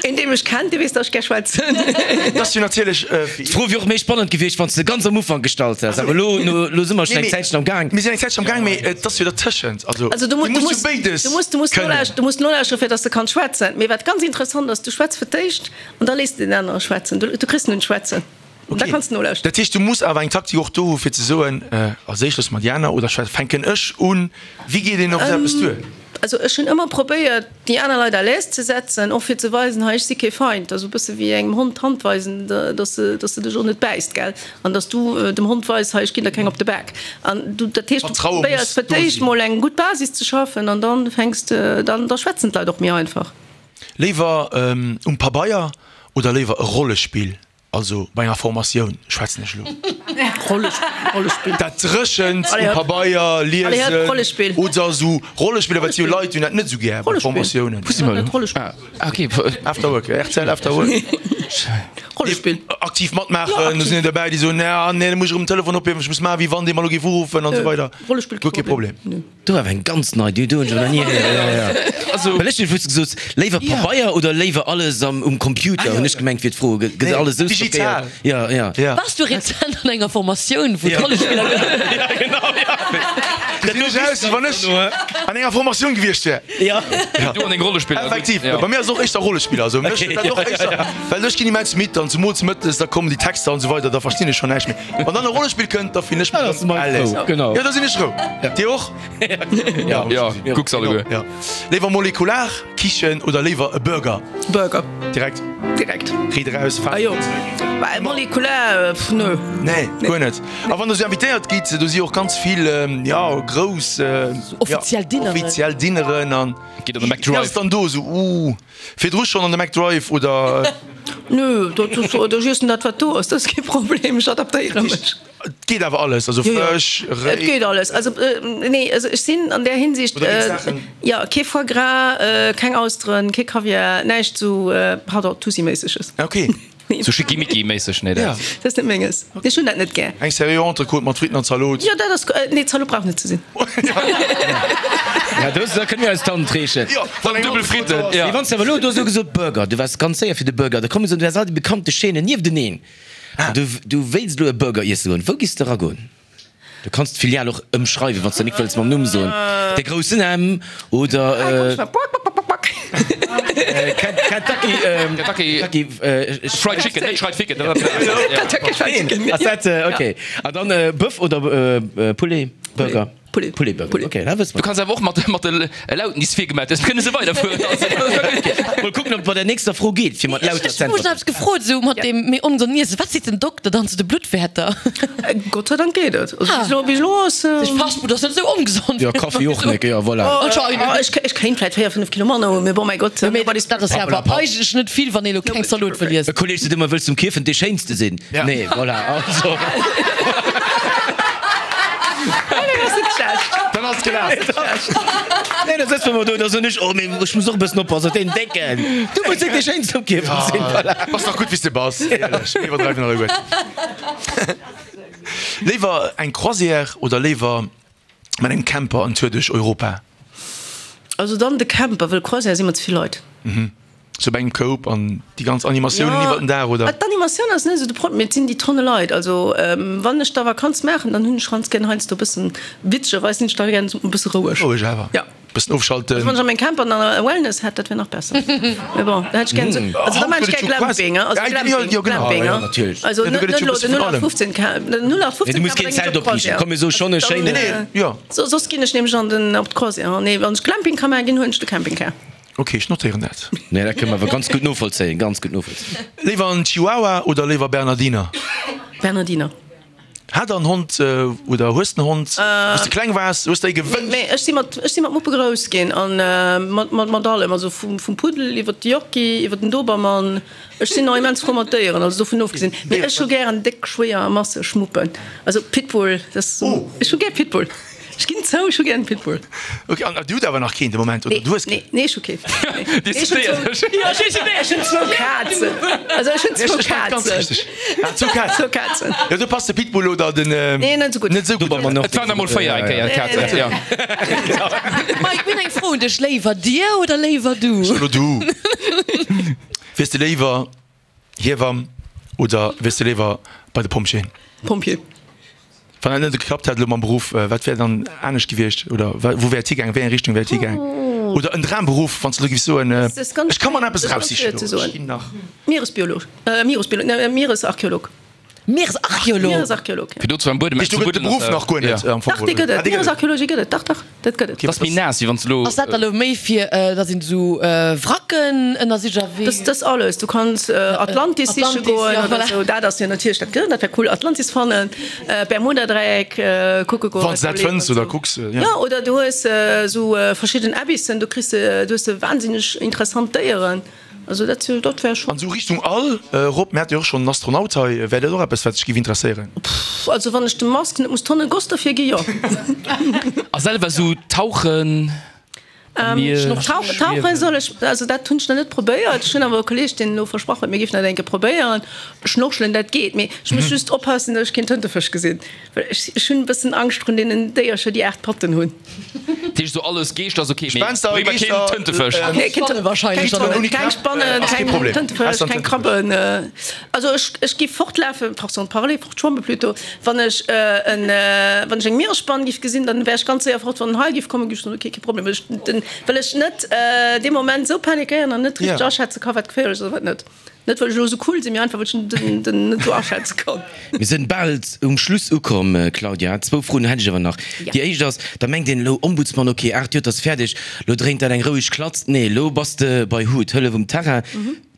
Een dee mech kennt, dee weess, datt ech gär schwätzen. Dat ass jo natierlech. D'Fro wier och méi spannend gewiescht, wann s de se ganz am Ufank gestallt häss. Awer elo, elo si mer schonn eng Zäitchen am Gaang. Mir sinn eng Zäitchen am Gaang, mee et ass jo dertëschent. Also, du muss jo béides kënnen. Du muss nolauschteren, fir datt s de kanns schwätzen. Mee wat ganz interessant ass, du schwätz fir d'éischt an da léiss de den anere schwätzen. Du kriss en un d'Schwätzen. Okay. Da kanns de nolauschteren. Dat heescht, du muss awer eng Taktik och do hu fir ze soen, als éischt loosse mer déi aner oder fänken ech un? Wéi geet een op esou eppes duer? Also ech hunn ëmmer probéiert, déi aner Leit à l'aise ze setzen, och fir ze weisen, hei ech si kee Feind. Also e bësse wéi engem Hond d'Hand weisen, dass se, dass se dech och net bäisst, gell? An dass du dem Hond weis, hei ech ginn der keng op de Bak. An du, dat heescht, du Vertraue muss probéiers fir do d'éischt sinn. mol eng gutt Basis ze schaffen an dann fänks de, dann, da schwätzen d'Leit och méi einfach. Léiwer um Pabeier oder léiwer e Rollespill? Also bei enger Formatioun schwätzen ech elo. Rollespill. Dat Dréchent Allez um hop. Pabeier, Allez hop, liesen Rollespill. oder esou Rollespiller, wat si jo Leit hunn dat net esou gär bei Rollespill. Formatiounen. Wou si mer elo? Rollespill. Ah, okay. After Work, R T L After Work. Rollespill. Aktiv matmaachen, Ja, do aktiv. sinn der derbäi, déi soen, nee, nee, da muss ech erëm den Telefon ophiewen, ech muss maachen, wéi wann dee mer elo géif uruffen an esou weider. Rollespill, Guer kee Problem. Nö. Do war eng ganz nei, déi hunn ech nach ni héieren. Ja, ja. Also, Well ech hunn wou gesot, léiwer Pabeier oder léiwer alles am um Computer, hunn ech gemengt wier d'Fro. Gëtt Nee, alles esou digital. stockéiert? Ja, ja. Ja. Wars du rezent an enger Formatioun, wou d'Rollespiller Ja, genau, ja. Dat sinn ech aus, wéi wann ech an enger Formatioun gewiescht wär. Ja. du an deng Rollespiller. Effektiv, Ja. bei mir ass och éischter Rollespiller, also mech Okay, dat och ja, éischter, ja, ja. well ech ginn immens midd an zumools mëttes, da kommen déi Texter an esou weider, da verstinn ech schonn näischt méi. Wann dann e Rollespill kënnt, da fillen ech mech Ja, das ist mein à l'aise. Flow, genau. Ja, da sinn ech rou. Dir och? Ja. Ja, kucks alleguer. Ja. Léiwer molekular Kichen oder léiwer e Burger? Burger. Direkt Direkt. Riit eraus, Ah jo. Bah, molekular, pff, nö. Nee, guer net. A wann der sou invitéiert gitt, do si och ganz vill, ja, grouss, Offiziell Dinneren. Offiziell Dinneren an. Geet an de Wéi McDrive. ass dann do sou, uh, virdru schonn an de McDrive oder? Nö, dat ass, oder ech iessen dat wat do ass, dat ass kee Problem, ech adaptéiere mech. Et geet awer alles, also Jo, jo. Fësch, Et Réi. geet alles. Also nee, also ech sinn an där Hinsicht, Oder ginn et Saachen? jo, kee Foie gras, keng Austeren, kee Kaviar, näischt sou, pardon, Tussi-méisseges. Okay. Nee. Sou Schickimicki-méisseg, nee, Ja. dat. Dat ass net menges. Ech hunn dat net gär. Eng seriö Entrecôte mat Fritten an Zalot. Jo, dat ass, nee, Zalot brauch net ze sinn. Ja, do da kënne mir eis d'Hand reechen. Jo, wann eng Dubbel Fritten, Entrecôte ass. ja. Mee wann s de awer elo do esou gesot Burger, du waars ganz séier fir de Burger, da kommen esou, du has all déi bekannte Chaînen niefteneen. An du, du wéilst elo e Burger iesse goen. Wou giss de eragoen? Du kanns d'Filial och ëmschreiwen, wann s de nik wëlls mam Numm soen. De groussen M oder Kentucky, Kentucky Kentucky Fried Chicken, net Fried Chicken. Kentucky Fried Chicken. Ass dat, okay. An dann Bëff oder Poulet Burger? Poulet. Poulet Burger. Poulet. Okay, da wësse Du mer. kanns awer och mat mat de Lauten, déi s virgemaach hues, kënne se weiderfueren. Mol kucken, ob et bei der nächster Fro geet, fir mat Ech lauter ech hu mech z'äntweren. nach eppes gefrot, esou mat deem méi ongesond Iessen. Wat seet den Dokter dann zu de Bluttwäerter? Gott sei Dank geet et. Also Ah. bis elo, bis elo ass. Sech Fast Food ass net esou ongesond. Jo, Kaffi och net, jo, voilà. Anscheinend. Oh, ech, ech kéint vläit véier, fënnef Kilo manner hunn, mee bon, mäi Gott. Jo, mee dat ass jo awer eigentlech net vill, wann ee elo keng Zalot wëll E iessen. Kolleg seet ëmmer, Wëlls du um Kierfent dee Schéinste sinn? Ja. Nee, voilà, also. Dann ass gelaf. Nee, da sëtze mer do, da soen ech, oh, mee ech muss och e bëssen oppassen, deen Décken. Du muss net dee Schéinste um Kierfent sinn, voilà. Bass nach gutt wéi s de bass, éierlech. Mir iwwerdreiwen alleguer. Léiwer eng Croisière oder léiwer mat engem Camper en Tour duerch Europa? Also dann de Camper, wëll Croisière si mer ze vill Leit. Sou bei engem Koup an déi ganz Animatiounen iwwer den Dag, oder? D'Animatioun ass net esou de Problem, mee et sinn déi Tonne Leit. Also wann ech da Vakanz maachen, dann hunn ech ganz gär heiansdo e bëssen, witzegerweis sinn ech da gär e bësse roueg. Roueg awer. Ja. Bëssen ofschalten. Also wann ech an mengem Camper dann e Wellness hätt, dat wär nach besser. Mee bon, da hätt ech gär esou, also da maachen ech gär Glamping, also Glamping, Jo, genau. Glamping, Ja, natierlech. Also Ja, do net gëtt et jo elo e bësse den vun allem. null acht fofzehn Camp, den null acht Nee, fofzehn du muss Camper, keen da ginn ech Zelt op opriichten. Croisière. Komm, mir soe schonn e Dann, schéinen. Nee, nee, jo. So, soss ginn ech nämlech an den, op d'Croisière. Nee, wann ech Glamping ka maachen ginn, huelen ech de Campingcar. Ok, ech notéieren dat. Nee, dat kënne mer awer ganz gutt novollzéien, ganz gutt novollzéien. Léiwer en Chihuahua oder léiwer Bernardiner? Bernardiner. Hat der en Hond oder hues de en Hond? Wou s de kleng waars, hues de ee gewënscht? Nee, ech si mat, ech si mat Muppe grouss ginn an mat, mat, mat allem, also vum, vum Puddel iwwer de Yorkie, iwwer den Dobermann. Ech sinn och immens frou mat Déieren, also dovun ofgesinn. Mee ech hu gären déck, schwéier a masseg Muppen. Also Pitbull, dat ass, ech hu gär Pitbull. Ech ginn zou, ech hu gär en Pitbull. Ok, an dir hutt awer nach keen de Moment, oder? Nee, Du hues keen? nee, nee, ech hu keen. Nee, ech hunn zwou, jo, ech hunn, ech hunn zwou Kazen. Also ech hunn zwou Ech war ganz Kazen. richteg. Ah, zwou Kazen. Zwou Kazen. Jo, do passt de Pitbull oder den. Nee, net esou gutt. Net esou gutt. Dobermann och. Et waren der mol véier eng Kéier, Kazen, jo. Mike, mir hunn eng Fro un dech, Léiwer dir oder léiwer du? Elo du. Wiers de léiwer Hiewamm oder wiers de léiwer bei de Pompjeeën? Pompjee. Wann dat net geklappt hätt elo mam Beruff, wat wär dann anescht gewiescht oder wou wär et higaangen, wéi eng Richtung wär et higaangen? Oder en Dramberuff, wann s de elo géifs soen, ech ka mer nach eppes eraussichen elo, ech ginn nach. Mieresbiolog, Mieresbiolog, ne, Mieresarcheolog. Mieresarcheolog? Mieresarcheolog, ja. Fir do zu am Buedem Heescht, do gëtt et de Beruff nach guer net am Fong? Dach, dee gëtt et. Mieresarcheologie gëtt et, dach, dach, dat gëtt et. Dat ass méi naass, wéi wann s de elo. Ass dat da elo méi fir, datt een esou Wracken ënnersicht a wéi? Dat ass alles. Du kanns Atlantis siche goen ja, oder voilà. esou. Dat ass jo natierlech dat gëtt, dat wär cool, Atlantis fannen, Bermudadräieck kucke goen. Wann s de dat fënns oder kucks, ja. Ja, oder du hues esou verschidden Abyssen, do kriss de, do hues de wahnsinneg interessant Déieren. Also dat, dat wär schon. An esou Richtung All, Rob, mir hate jo och schonn en Astronaut hei, wär dat och eppes, wat dech géif interesséieren? Pff, also wann ech dem Musk net muss Tonne Goss derfir gi, jo. A selwer esou tauchen am Mier, Tauchen, tauchen soll ech, also dat hunn ech nach net probéiert. Ech hunn awer e Kolleeg, deen elo versprach huet, mir géifen dat eng Kéier probéieren. Schnorchelen, dat geet, mee ech muss just oppassen, datt ech keen Tëntefësch gesinn, well ech, ech hunn e bëssen Angscht vrun deenen Déiercher, déi aacht Patten hunn. Dat heescht esou alles Geeschter ass ok, mee Gespenster, bréng mer keen Geeschter, Tëntefësch. Nee, keen Spanne wahrscheinlech keng dann och. Keng Keng Spannen, Ass kee keng Problem. Tëntefësch, Ausser keng Tëntefësch. Krabben. Also ech, ech géif fortlafen, façon de parler, fortschwamme plutôt, wann ech en, wann ech eng Mieresspann géif gesinn, dann wär ech ganz séier fort. Wann en Hai géif kommen, géif ech soen, ok, kee Problem, well ech den, well ech net dee Moment esou panikéieren an net richteg Ja. aschätze ka wat geféierlech ass a wat net. Net well ech elo esou cool sinn, mee einfach well ech den, den net esou aschätze kann. Mir sinn bal um Schluss ukomm, Claudia. Zwou Froen hätt ech awer nach. Ja. Déi éischt ass, da mengt een elo Ombudsmann, ok, aacht Joer, 't ass fäerdeg, lo dréint dat eng roueg Klatz. Nee, elo bass de bei hut, Hëllef um Terrain.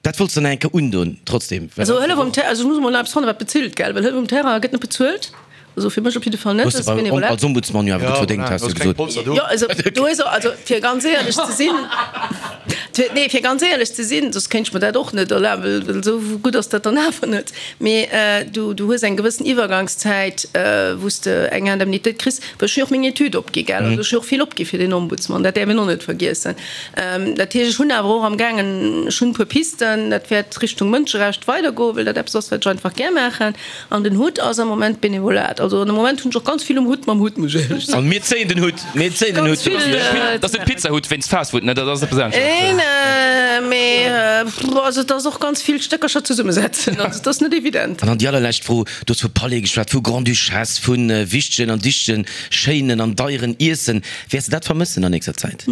Dat wollts de nach eng Kéier undoen trotzdem? Well Also Hëllef um Terrain, also ech muss emol nach eppes fannen, wat bezilt, gell? Well Hëllef um Terrain gëtt net bezuelt. Also fir mech op jidde Fall net, Hues de dat ass bei, Benevolat. als Ombudsmann jo awer gutt Ja, verdéngt, voilà, has du du hues keng gesot. Polster do. Jo, also do hues also fir ganz éierlech ze sinn, nee, fir ganz éierlech ze sinn, soss kéint ech mer dat och net erlaben, well, well esou gutt ass dat dann awer net. Mee du, du hues eng gewëssen Iwwergangszäit, wou s de eng Indemnitéit kriss, well ech hu jo och meng Etüd opgi, gell, also ech hu jo och vill opgi fir den Ombudsmann, dat däerf een och net vergiessen. Dat heescht, ech hunn awer och amgaangen, ech hunn e puer Pisten, dat wäert Richtung Mënscherecht weidergoen, well dat eppes ass, wat ech einfach gär maachen. An den Hutt ass am Moment Benevolat. Also an am Moment hunn ech och ganz vill um Hutt mam Hutt, muss ech éierlech soen. An mir zéien den Hutt, mir zéien den Ganz Hutt. vill Dat ass net Pizzahutt wéinst Fastfood, ne? Dat ass eppes anescht. Neen, mee also et ass och ganz vill Stéckercher zesummesetzen. Also et ass net evident. An dann déi allerlescht Fro, Du hues vu Palais geschwat, vu Grande-Duchesse, vu wichtegen an dichtegen, schéinen an deieren Iessen. Wäers de dat vermëssen an nächster Zäit?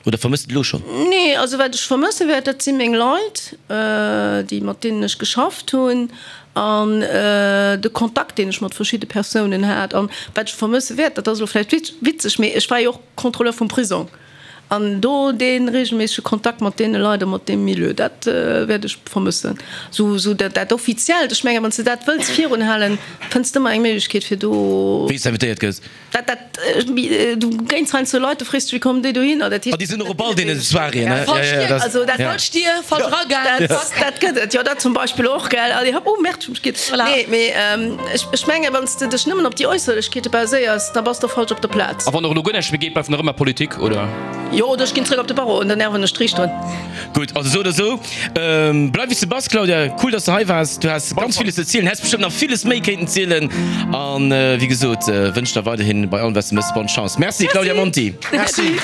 Oder vermësst et elo schonn? Nee, also wat ech vermësse wäert, dat si meng Leit, déi, mat deenen ech geschafft hunn an de Kontakt, deen ech mat verschidde Persounen hat. An wat ech vermësse wäert, dat ass elo vläicht witzeg, mee ech war jo och Contrôleur vum Prisong an do dee reegelméissege Kontakt mat deene Leit a mat deem Milieu, dat wäert ech vermëssen. Sou, sou dat, dat Offiziellt, ech mengen, wann s de dat wëlls virunhalen, fënns de ëmmer eng Méiglechkeet fir do. Wéi s de invitéiert gëss. Dat, dat, du géings heiansdo Leit, du frees dech, wéi kommen déi dohinner? Dat heescht, Ah, déi sinn och op all deene Soiréeën, ne? Falsch Ja, ja, Dier, dat, also dat, ja. falsch Dier, falsch Eragang, dat, zack. dat gëtt et, jo, dat zum Beispill och, gell? Allez hopp, oh merde, ech hu mech gitt. Voilà. Nee, mee ech, ech mengen, wann s de dech nëmmen op déi Äusserlechkeete baséiers, da bass de falsch op der Plaz. A wann och elo guer näischt méi geet, bleift nach ëmmer Politik, oder? Jo, oder ech ginn zréck op de Barreau an dann ierwen ech d'Riichteren. Gutt, also esou oder esou, bleif wéi s de bass, Claudia. Cool, dass de hei waars. Du has ganz villes ze zielen, häss bestëmmt nach villes méi kéinten zielen. An wéi gesot, wënsch der weiderhin bei allem, wat s de méchs, bonne Chance. Merci, Claudia Monti. Merci.